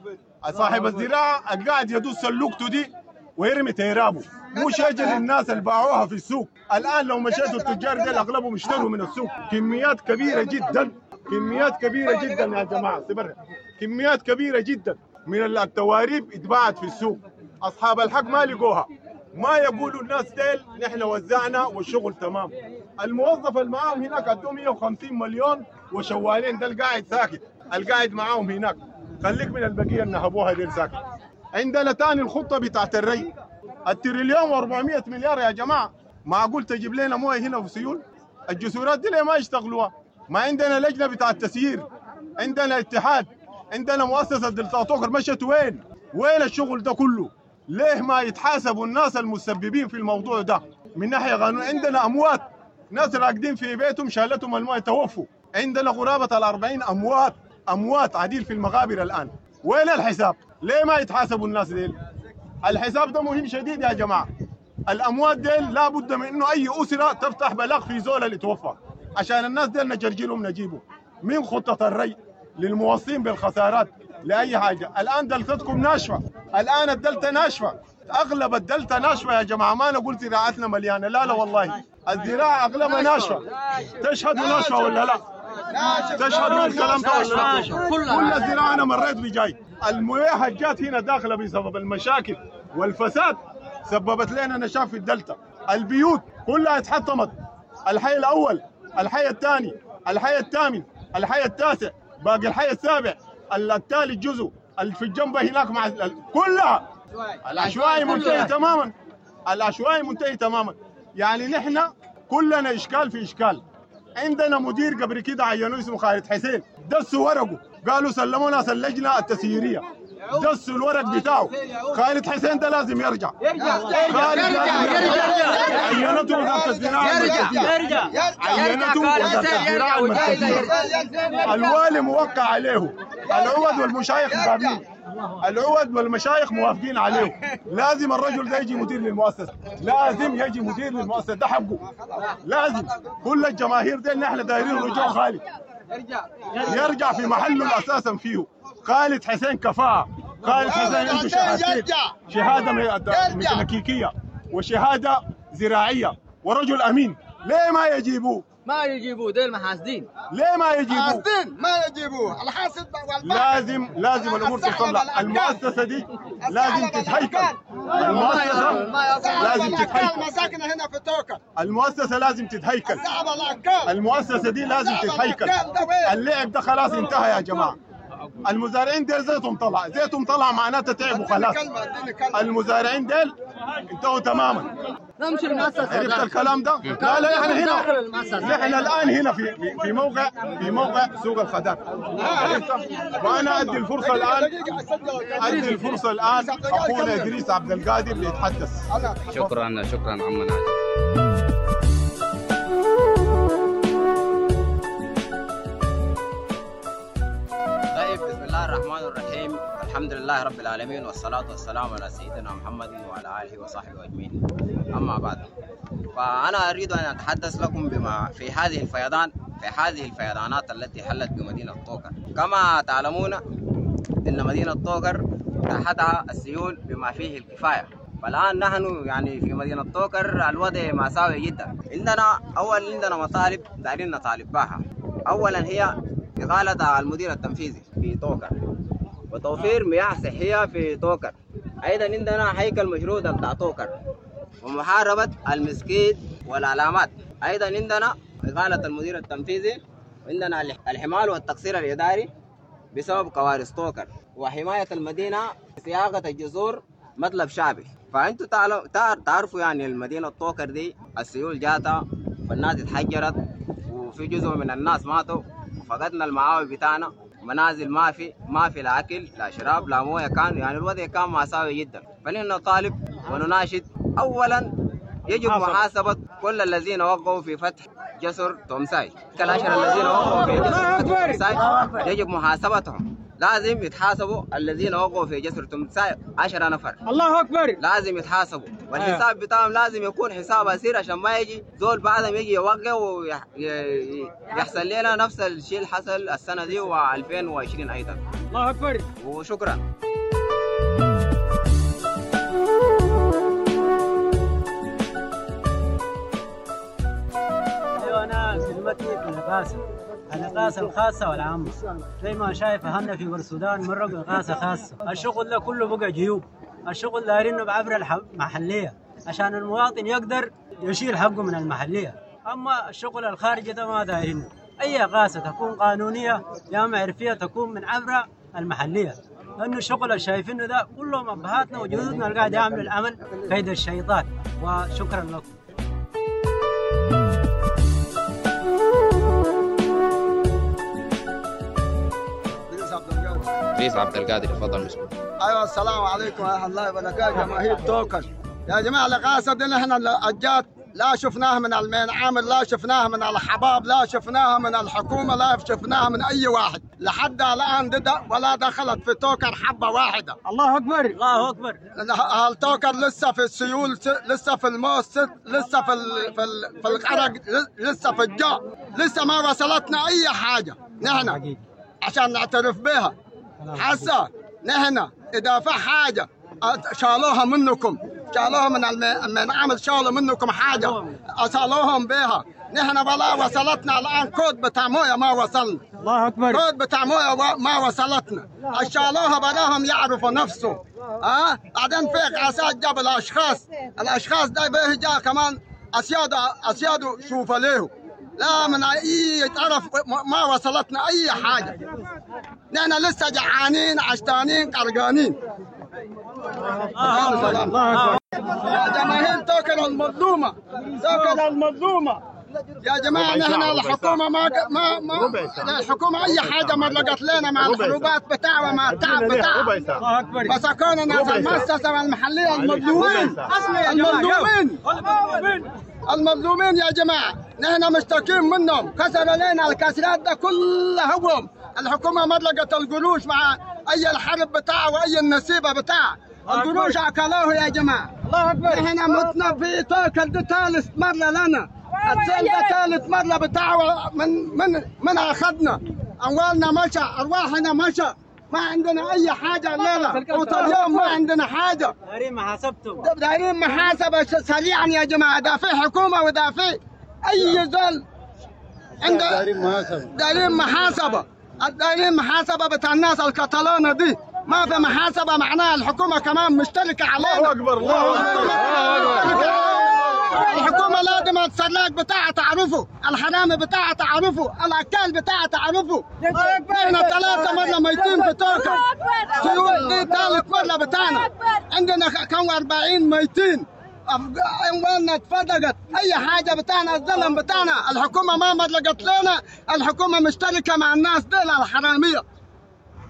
صاحب الزراعة قاعد يدوس سلوكته دي ويرمي تيرابه، مش يجي للناس اللي باعوها في السوق. الآن لو مشيتوا التجار ديل أغلبهم اشتروا من السوق كميات كبيرة جدا، كميات كبيرة جدا يا جماعة، سبرها كميات كبيرة جدا من التواريب اتباعت في السوق. أصحاب الحق ما لقوها، ما يقولوا الناس ديل نحن وزعنا والشغل تمام. الموظف اللي معاهم هناك ادوه مية وخمسين مليون وشوالين، ده القاعد ساكت، القاعد معاهم هناك، خليك من البقية اللي نهبوها ديل ساكت. عندنا تاني الخطة بتاعت الري، التريليون وأربعمية مليار يا جماعة، معقول تجيب لنا مويه هنا في سيول؟ الجسورات دي ليه ما يشتغلوها؟ ما عندنا لجنة بتاع التسيير، عندنا اتحاد، عندنا مؤسسة دلتا طوكر، مشت وين؟ وين الشغل ده كله؟ ليه ما يتحاسبوا الناس المسببين في الموضوع ده من ناحية قانون؟ عندنا أموات، ناس راقدين في بيتهم شالتهم المويه توفوا، عندنا قرابة الأربعين أموات، أموات عديل في المقابر الآن. وين الحساب؟ ليه ما يتحاسبوا الناس ديل؟ الحساب ده مهم شديد يا جماعة. الأموات ديل لابد من إنه أي أسرة تفتح بلاغ في زول اللي توفى، عشان الناس ديل نجرجلهم نجيبه من خطة الري للموصين بالخسارات لأي حاجة. الآن دلتتكم ناشفة، الآن الدلتا ناشفة، أغلب الدلتا ناشفة يا جماعة. ما نقول زراعتنا مليانة، لا لا والله الزراعة أغلبها ناشفة. تشهدوا ناشفة ولا لا؟ تشهدوا الكلام ده ولا لا؟ كل الزراعة أنا مريت بجاي المياه جات هنا داخلة بسبب المشاكل والفساد، سببت لنا نشاف في الدلتا. البيوت كلها اتحطمت، الحي الأول، الحي الثاني، الحي الثامن، الحي التاسع، باقي الحي السابع، الثالث جزء في الجنبه هناك مع كلها العشوائي منتهي تماما، العشوائي منتهي تماما. يعني نحن كلنا اشكال في اشكال. عندنا مدير قبل كده عينوه اسمه خالد حسين، دسوا ورقة، قالوا سلموا ناس اللجنة التسييريه، دسوا الورق بتاعه. خالد حسين ده لازم يرجع، يرجع خالد لازم يرجع. عينته وزارة الزراعة المركزية، عينته وزارة الزراعة المركزية، الوالي موقع عليه، العود والمشايخ مقابلين، العود والمشايخ موافقين عليه. لازم الرجل ده يجي مدير للمؤسسه، لازم يجي مدير للمؤسسه، ده حقه. لازم كل الجماهير دي نحن دايرين رجوع خالد، يرجع في محله اساسا فيه. خالد حسين كفاءة، خالد حسين عنده شهادتين، شهادة ميكانيكية وشهادة زراعية، ورجل امين. ليه ما يجيبوه؟ ما يجيبوه، ديل محاسدين. ليه ما يجيبوه؟ حاسدين ما يجيبوه، الحاسد لازم لازم الامور تطلع، المؤسسة دي لازم تتهيكل، المؤسسة لازم تتهيكل، مساكن هنا في توكر، المؤسسة لازم تتهيكل، المؤسسة دي لازم تتهيكل. اللعب ده خلاص انتهى يا جماعة. المزارعين ديل زيتهم طلع، زيتهم طلع معناته تعبوا خلاص. المزارعين ديل انتهوا تماما. نمشي المؤسسة. عرفت الكلام ده؟ لا لا احنا هنا، نحن الان هنا في في موقع في موقع سوق الخضار. عرفت؟ وانا ادي الفرصة الان، ادي الفرصة الان اخونا ادريس عبد القادر ليتحدث. شكرا شكرا عم ناجي. طيب بسم الله الرحمن الرحيم، الحمد لله رب العالمين والصلاة والسلام على سيدنا محمد وعلى آله وصحبه أجمعين. أما بعد، فأنا أريد أن أتحدث لكم بما في هذه الفيضان في هذه الفيضانات التي حلت بمدينة طوكر. كما تعلمون أن مدينة طوكر تحتها السيول بما فيه الكفاية، فالآن نحن يعني في مدينة طوكر الوضع مأساوي جدا. عندنا أول عندنا مطالب دايرين نطالب بها. أولا هي إقالة المدير التنفيذي في طوكر وتوفير مياه صحية في طوكر. أيضا عندنا هيكل مشروع بتاع طوكر ومحاربة المسكيت والعلامات. أيضا عندنا إقالة المدير التنفيذي، وعندنا الحمال والتقصير الإداري بسبب كوارث طوكر، وحماية المدينة صياغة الجسور مطلب شعبي. فأنتوا تعرفوا يعني المدينة طوكر دي السيول جاتا والناس اتحجرت، وفي جزء من الناس ماتوا، وفقدنا المعاوي بتاعنا، منازل ما في ما في لا اكل لا شراب لا مويه، كان يعني الوضع كان مأساوي جدا. فنحن نطالب ونناشد اولا يجب محاسبه كل الذين وقعوا في فتح جسر تومساي، العشرة الذين وقعوا في جسر تومساي يجب محاسبتهم، لازم يتحاسبوا الذين وقعوا في جسر تومساي عشرة نفر. الله اكبر. لازم يتحاسبوا، والحساب بتاعهم لازم يكون حساب عسير عشان ما يجي زول بعدهم يجي يوقع ويحصل لنا نفس الشيء اللي حصل السنة دي وألفين وعشرين ايضا. الله اكبر وشكرا. ايوه انا كلمتي في الإغاثة، الإغاثة الخاصة والعامة. زي ما شايف أهلنا في السودان مرقوا إغاثة خاصة، الشغل ده كله بقى جيوب، الشغل دايرينه بعبر المحلية عشان المواطن يقدر يشيل حقه من المحلية، أما الشغل الخارجي ده ما دايرينه. أي إغاثة تكون قانونية يا معرفية تكون من عبر المحلية، لأنه الشغل اللي شايفينه ده كلهم أبهاتنا وجدودنا اللي قاعد يعملوا العمل كيد الشيطان. وشكرا لكم. ادريس عبد القادر تفضل مسؤول. ايوه السلام عليكم ورحمة الله وبركاته جماهير توكر. يا جماعة الاغاثة دي احنا الجات لا شفناها من المين عامل، لا شفناها من الحباب، لا شفناها من الحكومة، لا شفناها من اي واحد لحد الان دي ولا دخلت في توكر حبه واحدة. الله اكبر الله اكبر. التوكر لسه في السيول، لسه في الموس، لسه في ال... في, ال... في الغرق، لسه في الجوع، لسه ما وصلتنا اي حاجة نحن عشان نعترف بها. حسا نحن اذا في حاجة شالوها منكم، شالوها من المين عامل، شالوا منكم حاجة اصلوهم بها. نحن ولا وصلتنا الان كود بتاع مويه ما وصلنا. الله اكبر. كود بتاع مويه ما وصلتنا، شالوها براهم يعرفوا نفسه. ها أه؟ بعدين في غاسات جاب الاشخاص، الاشخاص ده به جاء كمان اسياده اسياده شوف له لا من اي طرف ما وصلتنا اي حاجة. نحن لسه جعانين عشتانين قرقانين. يا جماهير توكل المظلومة، توكل المظلومة يا جماعة. نحن الحكومة ما ما ما الحكومة اي حاجة ما لقت لنا مع الحروبات بتاعها ومع التعب بتاعها. مسكونا ناس المؤسسة المحلية المظلومين، المظلومين المظلومين يا جماعة. نحن مشتكين منهم، كسروا لنا الكسرات ده كلها هم. الحكومة ما لقت القروش مع اي الحرب بتاعها واي النسيبه بتاعها، القروش اكلوه يا جماعة. الله اكبر. نحن متنا في توكل ده ثالث مرة لنا، السيل ده ثالث مرة بتاعه من من من اخذنا اموالنا مشى، ارواحنا مشى، ما عندنا اي حاجة الليلة وطول اليوم ما عندنا حاجة. دايرين محاسبتهم، دايرين محاسبه سريعا يا جماعة. ده في حكومة وده في اي زول عند دايرين محاسبه، دايرين محاسبه بتاع الناس الكتالونة دي. ما في محاسبه معناها الحكومة كمان مشتركة علينا. الله اكبر، الله اكبر. الحكومة لازم السلاك بتاعها تعرفه، الحرامي بتاعها تعرفه، الاكال بتاعها تعرفه. احنا ثلاثة مرة ميتين في توكل، سيول دي ثالث مرة بتاعنا، عندنا كم أربعين ميتين، اموالنا اتفرقت، اي حاجة بتاعنا الظلم بتاعنا، الحكومة ما مدلقت لنا، الحكومة مشتركة مع الناس دي الحرامية.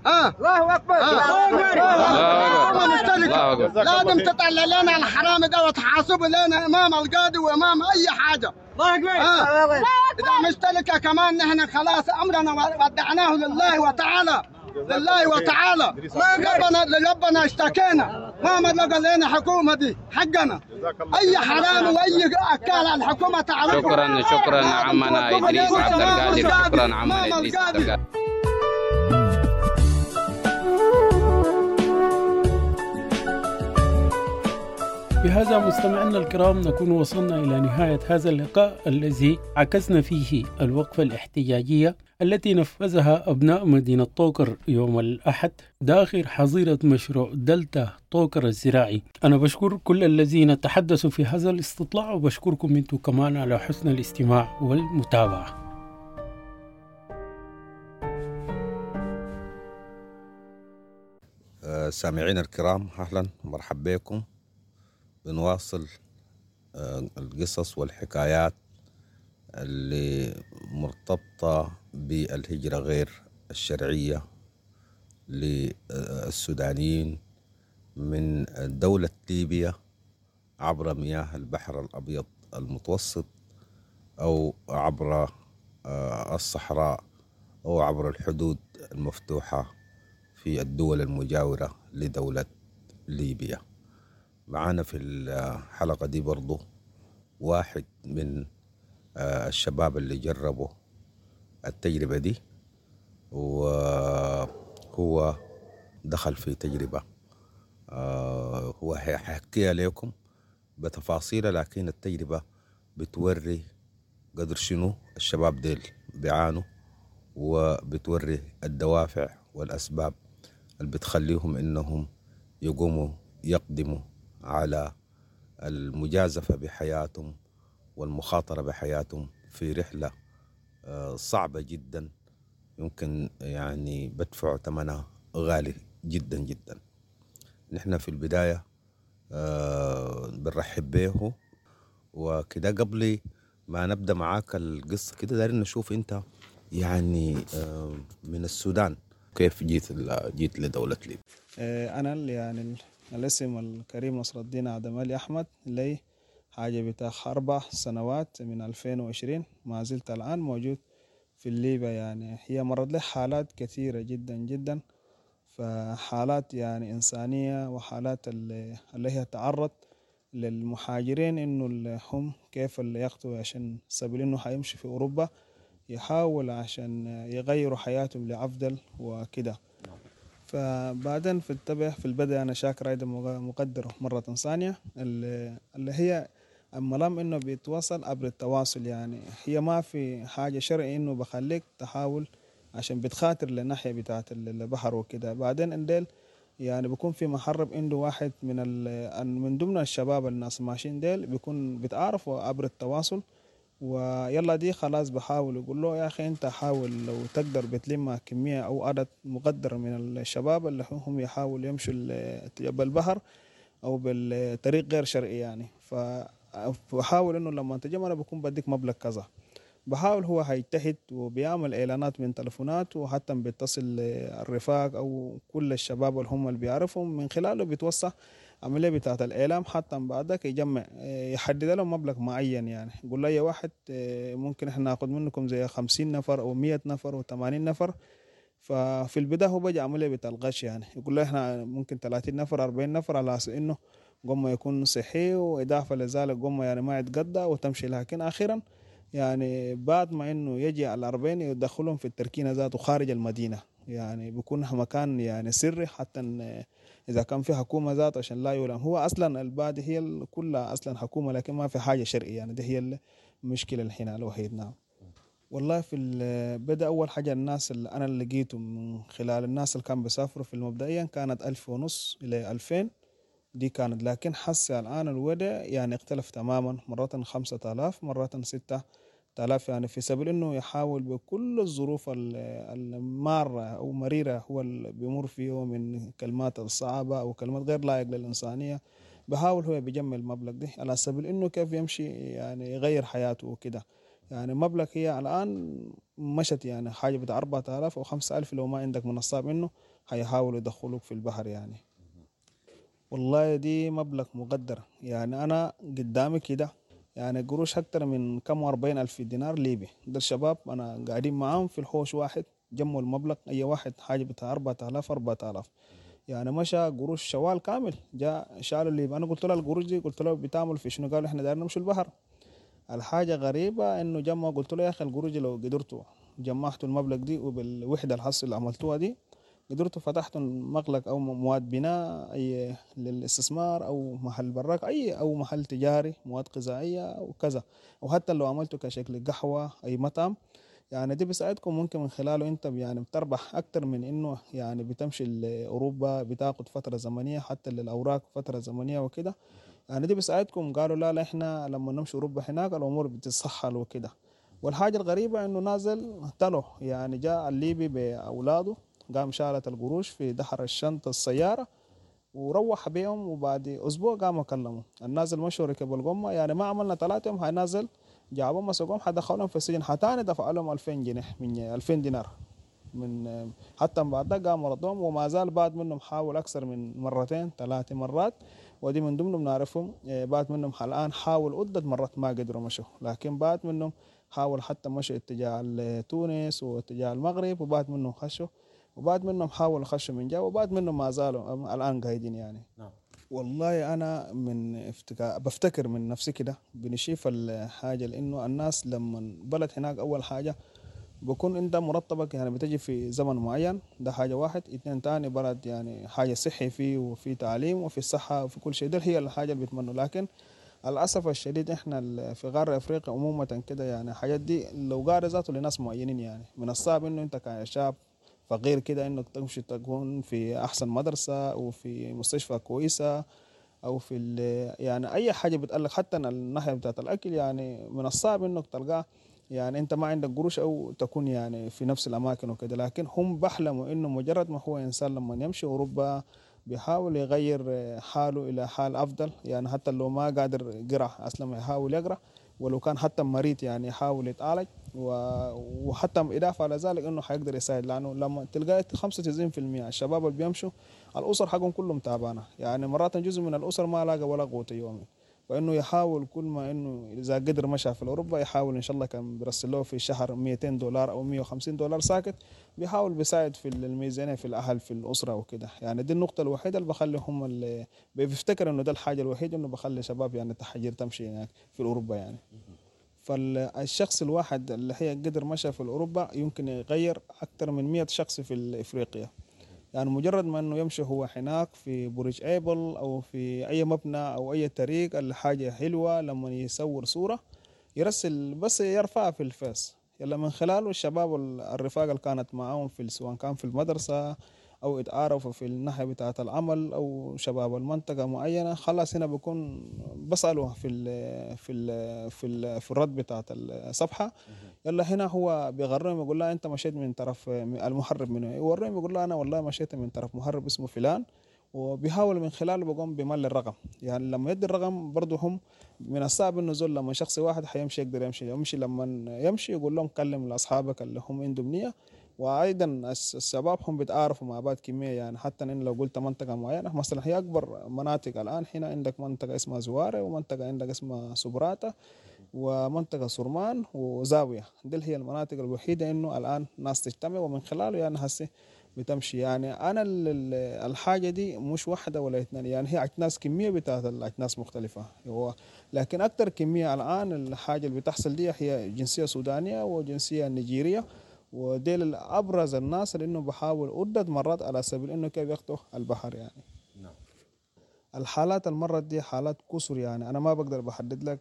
اه الله اكبر، الله اكبر. الله أكبر. لازم تطلع لنا الحرامي ده وتحاسبه لنا امام القاضي وامام اي حاجة. الله اكبر. آه. اذا مشتركة كمان نحن خلاص امرنا ودعناه لله وتعالى، لله وتعالى. ربنا لربنا اشتكينا، ما مدلق لنا حكومة دي حقنا. اي حرامي واي اكال الحكومة تعرفه. شكرا شكرا عمنا ادريس عبد القادر، شكرا عمنا ادريس عبد القادر. بهذا مستمعينا الكرام نكون وصلنا إلى نهاية هذا اللقاء الذي عكسنا فيه الوقفة الاحتجاجية التي نفذها أبناء مدينة طوكر يوم الأحد داخل حظيرة مشروع دلتا طوكر الزراعي. أنا بشكر كل الذين تحدثوا في هذا الاستطلاع، وبشكركم أنتم كمان على حسن الاستماع والمتابعة. سامعين الكرام، أهلا ومرحبا بكم. بنواصل القصص والحكايات اللي مرتبطة بالهجرة غير الشرعية للسودانيين من دولة ليبيا عبر مياه البحر الأبيض المتوسط أو عبر الصحراء أو عبر الحدود المفتوحة في الدول المجاورة لدولة ليبيا. معانا في الحلقة دي برضو واحد من الشباب اللي جربوا التجربة دي، وهو دخل في تجربة هو حيحكيها لكم بتفاصيلها، لكن التجربة بتوري قدر شنو الشباب ديل بيعانوا، وبتوري الدوافع والأسباب اللي بتخليهم إنهم يقوموا يقدموا على المجازفة بحياتهم والمخاطرة بحياتهم في رحلة صعبة جدا، يمكن يعني بدفعوا ثمنها غالي جدا جدا. نحن في البداية بنرحب به وكده. قبل ما نبدأ معاك القصة كده دايرين نشوف أنت يعني من السودان كيف جيت جيت لدولة ليبيا. أنا يعني الاسم الكريم نصر الدين آدم علي أحمد، لي حاجة بتاع أربع سنوات من ألفين وعشرين ما زلت الآن موجود في ليبيا. يعني هي مرت لي حالات كثيرة جدا جدا، فحالات يعني إنسانية وحالات اللي, اللي هي تعرض للمهاجرين إنه هم كيف اللي يخطوا عشان سبيل إنه حيمشي في أوروبا يحاول عشان يغيروا حياتهم لأفضل وكده. فبعدين في التبع في البدء أنا شاكر أيضا مقدره مرة ثانية اللي, اللي هي الملام إنه بيتواصل عبر التواصل. يعني هي ما في حاجة شرعي إنه بخليك تحاول عشان بتخاطر للناحية بتاعة البحر وكده. بعدين انديل يعني بيكون في محرب عنده واحد من من ضمن الشباب الناس ماشيين ديل بيكون بيتعرفوا عبر التواصل، ويلا دي خلاص بحاول يقول له يا أخي أنت حاول لو تقدر بتلم كمية أو عدد مقدر من الشباب اللي هم يحاولوا يمشوا بالبحر أو بالطريق غير شرعي يعني. فبحاول إنه لما تجمع أنا بكون بديك مبلغ كذا، بحاول هو هيجتهد وبيعمل إعلانات من تلفونات وحتى بيتصل الرفاق أو كل الشباب اللي هم اللي بيعرفهم من خلاله بيتوسع عملية بتاعة الإعلام، حتى بعدك يجمع يحدد له مبلغ معين. يعني يقول له يا واحد ممكن إحنا ناخد منكم زي خمسين نفر أو مية نفر أو ثمانين نفر. ففي البداية هو بيجي عملية بتاع الغش، يعني يقول له إحنا ممكن ثلاثين نفر أربعين نفر على أساس إنه قمة يكون صحي، وإضافة لذلك قمة يعني ما يتقدى وتمشي. لكن أخيرا يعني بعد ما إنه يجي على الأربعين يدخلهم في التركينة ذاته خارج المدينة، يعني بيكون مكان يعني سري حتى إذا كان في حكومة ذات عشان لا يلام. هو أصلا البادي هي كلها أصلا حكومة، لكن ما في حاجة شرعية يعني. دي هي المشكلة الحين الوحيد. نعم. والله في بدأ أول حاجة الناس اللي أنا اللي لقيته من خلال الناس اللي كانوا بيسافروا في المبدئيا كانت ألف ونص إلى ألفين دي كانت، لكن حسي الآن الوضع يعني اختلف تماما، مرات خمسة آلاف مرات ستة آلاف، يعني في سبيل إنه يحاول بكل الظروف المارة أو مريرة هو اللي بيمر فيه من كلمات الصعبة أو كلمات غير لائق للإنسانية، بحاول هو بيجمع المبلغ ده على سبيل إنه كيف يمشي يعني يغير حياته وكده. يعني مبلغ هي الآن مشت يعني حاجة بتاع أربعة آلاف أو خمسة ألف لو ما عندك من الصعب إنه هيحاولوا يدخلوك في البحر يعني. والله دي مبلغ مقدر، يعني أنا قدامي كده يعني قروش أكتر من كم وأربعين ألف دينار ليبي، ده الشباب أنا قاعدين معاهم في الحوش واحد جمعوا المبلغ أي واحد حاجة بتاع أربعة آلاف أربعة آلاف، يعني مشى قروش شوال كامل جاء شالوا الليبي. أنا قلت له القروش دي قلت له بتعمل في شنو؟ قالوا إحنا دايرين نمشي البحر. الحاجة غريبة إنه جمع، قلت له يا أخي القروش لو قدرتوا جمعتوا المبلغ دي وبالوحدة الحصل اللي عملتوها دي قدرتوا فتحتوا مغلق أو مواد بناء أي للاستثمار أو محل براك أي أو محل تجاري مواد غذائية وكذا، وحتى لو عملتوا كشكل قهوة أي مطعم يعني دي بيساعدكم ممكن من خلاله أنت يعني بتربح أكتر من إنه يعني بتمشي لأوروبا بتاخد فترة زمنية حتى للأوراق فترة زمنية وكده، يعني دي بيساعدكم. قالوا لا لا إحنا لما نمشي أوروبا هناك الأمور بتتسهل وكده. والحاجة الغريبة إنه نازل تلو يعني جاء الليبي بأولاده قام شالت القروش في دحر الشنطة السيارة وروح بيهم، وبعد أسبوع قاموا كلموا النازل مشوا ركبوا القمة، يعني ما عملنا ثلاثة يوم هنازل جابوا مسكوهم حدخلهم في السجن، حتاني دفع لهم ألفين جنيه من ألفين دينار من حتى بعد ده قاموا ردوهم، وما زال بعد منهم حاول أكثر من مرتين ثلاث مرات، ودي من ضمنهم نعرفهم بعد منهم الآن حاول عدة مرات ما قدروا مشوا، لكن بعد منهم حاول حتى مشوا اتجاه تونس واتجاه المغرب، وبعد منهم خشوا وبعد منهم حاولوا خشوا من جوا، وبعد منهم ما زالوا الآن قاعدين يعني. نعم. والله أنا من افتكا... بفتكر من نفسي كده بنشوف الحاجة، لأنه الناس لما بلد هناك أول حاجة بكون أنت مرتبك يعني بتجي في زمن معين، ده حاجة واحد. اتنين تاني بلد يعني حاجة صحي فيه وفي تعليم وفي الصحة وفي كل شيء، ده هي الحاجة اللي بيتمنوا. لكن للأسف الشديد إحنا في غرب أفريقيا عموما كده يعني الحاجات دي لو قارة ذاته لناس معينين يعني من الصعب إنه أنت كشاب فغير كده انك تمشي تكون في احسن مدرسه او في مستشفى كويسه او في يعني اي حاجه بتقلق، حتى الناحيه بتاعت الاكل يعني من الصعب انك تلقاه، يعني انت ما عندك قروش او تكون يعني في نفس الاماكن وكده. لكن هم بحلموا انه مجرد ما هو انسان لما يمشي اوروبا بيحاول يغير حاله الى حال افضل، يعني حتى لو ما قادر يقرا اصلا يحاول يقرا، ولو كان حتى مريض يعني يحاول يتعالج، وحتى إضافة على ذلك إنه حيقدر يساعد، لأنه لما تلقى خمسة وتسعين بالمئة الشباب اللي بيمشوا الأسر حقهم كلهم تعبانة، يعني مرات جزء من الأسر ما لاقى ولا قوت يومي، فإنه يحاول كل ما إنه إذا قدر مشى في أوروبا يحاول إن شاء الله كان بيرسل له في الشهر مئتين دولار أو مئة وخمسين دولار ساكت، بيحاول بيساعد في الميزانية في الأهل في الأسرة وكده. يعني دي النقطة الوحيدة اللي بخلي هم اللي بيفتكر إنه ده الحاجة الوحيدة إنه بخلي شباب يعني تحجير تمشي هناك في أوروبا يعني. فالشخص الواحد اللي هي قدر مشى في أوروبا يمكن يغير أكثر من مئة شخص في إفريقيا، يعني مجرد ما انه يمشي هو هناك في برج ايبل او في اي مبنى او اي طريق الحاجه حلوه لما يصور صوره يرسل بس يرفعها في الفيس، يلا من خلاله الشباب الرفاق اللي كانت معاهم في سواء كان في المدرسه او اتعارفوا في الناحيه بتاعه العمل او شباب المنطقه معينه، خلاص هنا بكون بسالوه في ال في ال في ال في الرد بتاعه الصفحه، يلا هنا هو بيغرهم يقول له انت مشيت من طرف المهرب منه، يوريهم يقول له انا والله مشيت من طرف مهرب اسمه فلان، وبيحاول من خلاله بقوم بمل الرقم. يعني لما يدي الرقم برضه هم من الصعب انه زول لما شخص واحد حيمشي يقدر يمشي يمشي لما يمشي يقول لهم كلم لاصحابك اللي هم عندهم نيه، وايضا الشباب هم بيتعارفوا مع بعض كميه، يعني حتى ان لو قلت منطقه معينه مثلا هي اكبر مناطق الان هنا عندك منطقه اسمها زواره، ومنطقه عندك اسمها سبراتا، ومنطقه سرمان وزاويه، دي هي المناطق الوحيده انه الان ناس تجتمع ومن خلاله يعني هسه بتمشي. يعني انا الحاجه دي مش واحده ولا اثنين، يعني هي اجناس كميه بتاعت الاجناس مختلفه، هو لكن اكثر كميه الان الحاجه اللي بتحصل دي هي جنسيه سودانيه وجنسيه نيجيريه، وديل الابرز الناس لانه بحاول عده مرات على سبيل انه كيف يخطو البحر يعني. نعم. الحالات المرة دي حالات كسر، يعني انا ما بقدر بحدد لك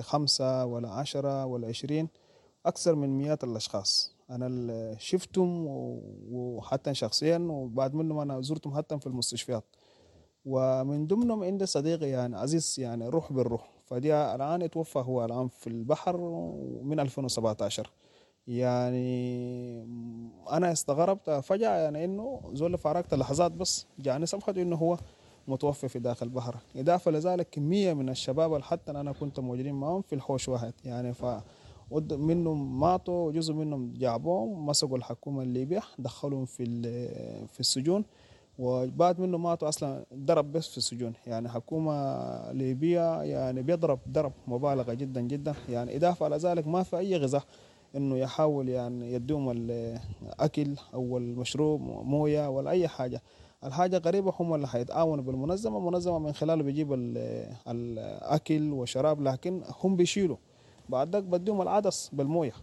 خمسة ولا عشرة ولا عشرين، أكثر من مئات الأشخاص أنا شفتهم وحتى شخصيا، وبعد منهم أنا زرتهم حتى في المستشفيات، ومن ضمنهم عندي صديقي يعني عزيز يعني روح بالروح، فدي الآن اتوفى هو الآن في البحر من ألفين وسبعة عشر. يعني أنا استغربت فجأة يعني إنه زول فارقت لحظات بس جاني صفحته إنه هو متوفي في داخل البحر. إضافة لذلك كمية من الشباب اللي حتى أنا كنت موجودين معهم في الحوش واحد يعني، ف منهم ماتوا وجزء منهم جابوهم مسكوا الحكومة الليبية دخلهم في في السجون، وبعد منه ماتوا أصلا ضرب بس في السجون. يعني حكومة ليبية يعني بيضرب ضرب مبالغة جدا جدا يعني. إضافة على ذلك ما في أي غذاء إنه يحاول يعني يدوم الأكل أو المشروب موية ولا أي حاجة. الحاجة غريبة هم اللي حيتعاونوا بالمنظمة، المنظمة من خلاله بيجيب الأكل وشراب، لكن هم بيشيلوا بعد ذاك بديهم العدس بالموية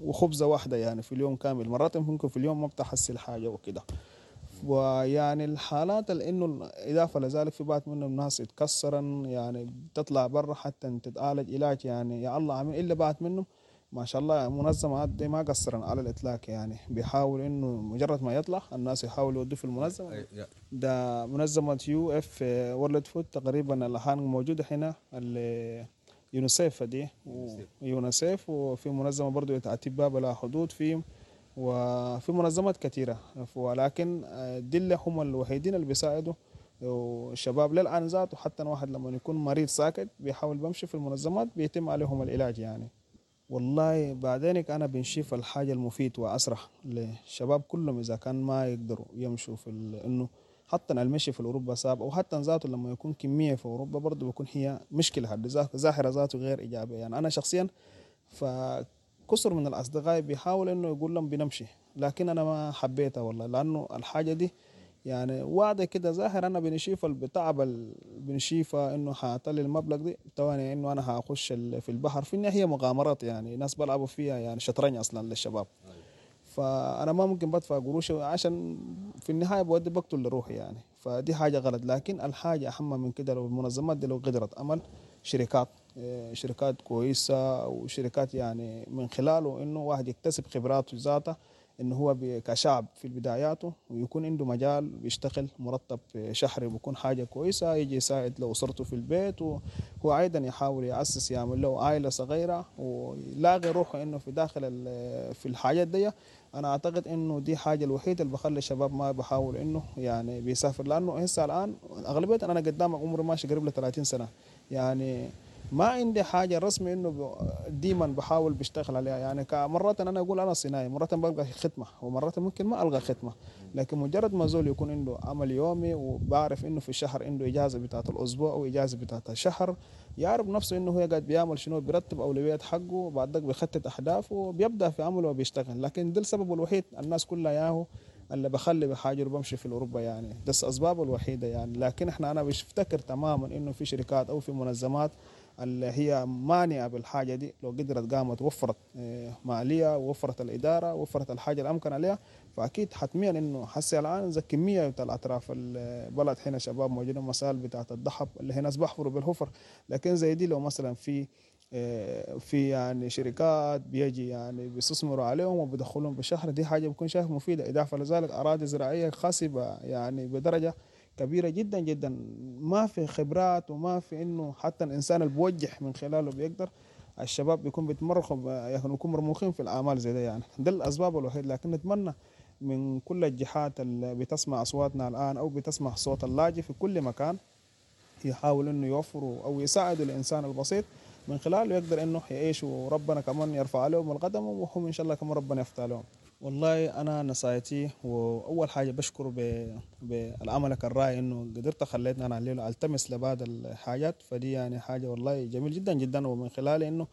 وخبزة واحدة يعني في اليوم كامل، مرات ممكن في اليوم ما بتحصل حاجة وكده. ويعني الحالات اللي انه اضافه لذلك في بعض منهم الناس يتكسرن يعني بتطلع برا حتى تتعالج علاج يعني يا الله عامل، الا بعض منهم ما شاء الله منظمة دي ما قصرن على الاطلاق يعني، بيحاول انه مجرد ما يطلع الناس يحاولوا يودوه في المنظمة. ده منظمة يو اف World Food تقريبا الان موجودة هنا، يونيسيف دي يونيسيف، وفي منظمة برضو اطباء بلا حدود في، وفي منظمات كثيرة، ولكن دي هم الوحيدين اللي بيساعدوا الشباب للآن ذاته. حتى واحد لما يكون مريض ساكت بيحاول بمشي في المنظمات بيتم عليهم العلاج يعني. والله بعدينك أنا بنشوف الحاجة المفيد وأسرع للشباب كلهم إذا كان ما يقدروا يمشوا في إنه حتى المشي في أوروبا صعب، أو حتى ذاته لما يكون كمية في أوروبا برضه بيكون هي مشكلة حد ظاهرة ذاته غير إيجابية يعني. أنا شخصيا فكثر من الأصدقاء بيحاول إنه يقول لهم بنمشي، لكن أنا ما حبيتها والله، لأنه الحاجة دي يعني واضح كده ظاهر. أنا بنشيف البتعب بنشيفه إنه هطلع المبلغ دي تواني إنه أنا هخش في البحر، في النهاية هي مغامرات يعني ناس بلعبوا فيها يعني شطرنج أصلا للشباب، فأنا ما ممكن بدفع قروش عشان في النهاية بودي بقتل لروحي يعني، فدي حاجة غلط. لكن الحاجة أهم من كده لو المنظمات دي لو قدرت أمل شركات شركات كويسة وشركات يعني من خلاله إنه واحد يكتسب خبراته ذاته، إنه هو كشعب في بداياته ويكون عنده مجال بيشتغل مرتب شهري بيكون حاجة كويسة، يجي يساعد لو أسرته في البيت، وهو أيضا يحاول يأسس يعمل له عائلة صغيرة ويلاقي روحه إنه في داخل في الحاجات دي. أنا أعتقد إنه دي حاجة الوحيدة اللي بخلي الشباب ما بحاول إنه يعني بيسافر، لأنه هسه الآن أغلبية أنا قدامك عمري ماشي قريب ل ثلاثين سنة يعني، ما عندي حاجة رسمي إنه ديما بحاول بشتغل عليها يعني. مرات أنا أقول أنا صناعي، مرات بلقى ختمة ومرات ممكن ما ألقى ختمة، لكن مجرد ما زول يكون عنده عمل يومي وبعرف إنه في الشهر عنده إجازة بتاعة الأسبوع وإجازة بتاعة الشهر، يعرف نفسه إنه هو قاعد بيعمل شنو، بيرتب أولويات حقه وبعد ذاك بيخطط أهدافه وبيبدأ في عمله وبيشتغل. لكن ده السبب الوحيد الناس كلها ياهو اللي بخلي بحاجر وبمشي في أوروبا يعني، ده الأسباب الوحيدة يعني. لكن إحنا أنا بفتكر تماما إنه في شركات أو في منظمات اللي هي مانعة بالحاجة دي لو قدرت قامت وفرت مالية ووفرت الإدارة ووفرت الحاجة الأمكن عليها، فأكيد حتميا إنه حسي الآن زي كمية بتاع الأطراف البلد هنا شباب موجودين مسائل بتاعة الذهب اللي هي ناس بحفروا بالحفر، لكن زي دي لو مثلا في في يعني شركات بيجي يعني بيستثمروا عليهم وبيدخلهم بالشهر، دي حاجة بكون شايف مفيدة. إضافة لذلك أراضي زراعية خصبة يعني بدرجة كبيرة جدا جدا، ما في خبرات وما في إنه حتى الإنسان اللي بوجه من خلاله بيقدر الشباب بيكون بيتمرخوا يعني يكون مرموخين في الأعمال زي ده يعني. ده الأسباب الوحيدة. لكن نتمنى من كل الجهات اللي بتسمع أصواتنا الآن أو بتسمع صوت اللاجئ في كل مكان يحاول إنه يوفروا أو يساعدوا الإنسان البسيط من خلاله يقدر إنه يعيش، وربنا كمان يرفع عليهم القدم وهم إن شاء الله كمان ربنا يفتح لهم. والله أنا نصايتي وأول حاجة بشكره بالعملك الرائع إنه قدرت خليتنا أنا الليلة ألتمس لبعض الحاجات، فدي يعني حاجة والله جميل جدا جدا، ومن خلالي إنه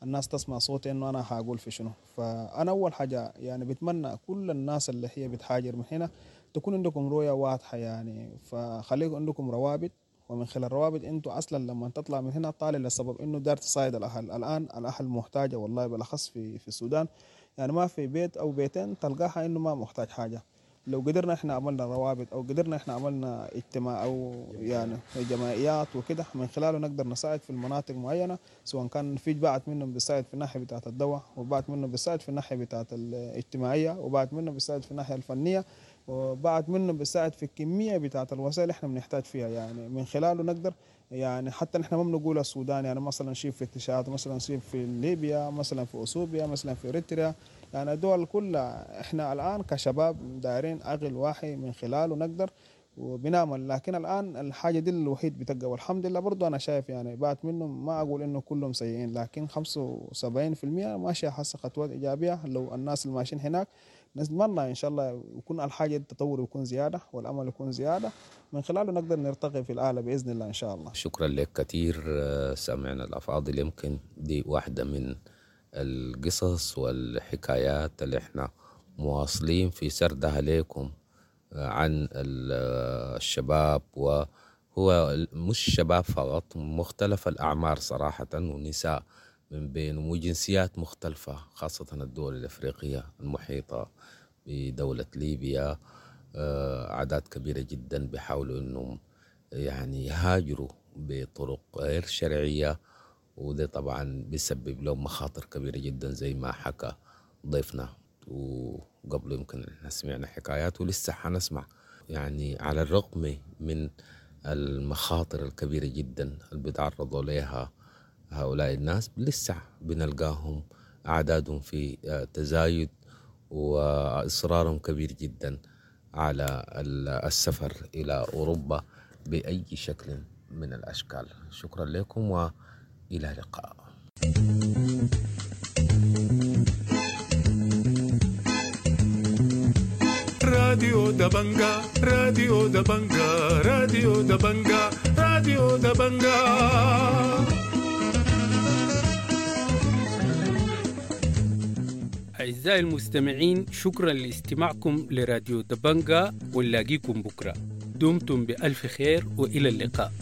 الناس تسمع صوتي إنه أنا هقول في شنو. فأنا أول حاجة يعني بتمنى كل الناس اللي هي بتهاجر من هنا تكون عندكم رؤية واضحة يعني، فخليكم عندكم روابط، ومن خلال الروابط انتوا اصلا لما تطلع من هنا طالع لسبب انه دار تصايد الاهل. الان الاهل محتاجه والله بالاخص في في السودان يعني، ما في بيت او بيتين تلقاها انه ما محتاج حاجة. لو قدرنا احنا عملنا روابط او قدرنا احنا عملنا اجتماع او يعني جمعيات وكده، من خلاله نقدر نساعد في المناطق معينة، سواء كان في بعض منهم بيساعد في الناحية بتاعه الدواء، وبعض منهم بيساعد في الناحية بتاعه الاجتماعية، وبعض منهم بيساعد في الناحية الفنية، وبعض منهم بيساعد في الكمية بتاعه الوسائل اللي احنا بنحتاج فيها. يعني من خلاله نقدر يعني حتى نحن ما بنقول السودان، يعني مثلا شيء في تشاد، مثلا شيء في ليبيا، مثلا في اثيوبيا، مثلا في اريتريا، يعني الدول كلها احنا الان كشباب دايرين عقل واحد من خلاله نقدر وبنعمل. لكن الان الحاجة دي الوحيد بتبقى، والحمد لله برضو انا شايف يعني بعد منهم ما اقول انه كلهم سيئين، لكن خمسة وسبعين في المية ماشية حاسه خطوات ايجابية. لو الناس اللي ماشيين هناك نتمنى ان شاء الله يكون الحاجة التطور يكون زيادة والامل يكون زيادة، من خلاله نقدر نرتقي في الاعلى باذن الله ان شاء الله. شكرا لك كثير سامعنا الافاضل. يمكن دي واحدة من القصص والحكايات اللي احنا مواصلين في سردها لكم عن الشباب، وهو مش شباب فقط، مختلف الأعمار صراحة، ونساء من بين وجنسيات مختلفة، خاصة الدول الأفريقية المحيطة بدولة ليبيا. أعداد كبيرة جدا بيحاولوا أنهم يعني يهاجروا بطرق غير شرعية، وده طبعا بيسبب لهم مخاطر كبيرة جدا زي ما حكى ضيفنا، وقبل يمكن احنا سمعنا حكايات ولسه حنسمع. يعني على الرغم من المخاطر الكبيرة جدا اللي بيتعرضوا لها هؤلاء الناس، لسه بنلقاهم أعدادهم في تزايد وإصرارهم كبير جدا على السفر إلى أوروبا بأي شكل من الأشكال. شكرا لكم وإلى اللقاء. راديو دبنجا، راديو دبنجا، راديو دبنجا، راديو دبنجا. أعزائي المستمعين، شكرا لاستماعكم لراديو دبنجا، ونلاقيكم بكرة. دمتم بألف خير وإلى اللقاء.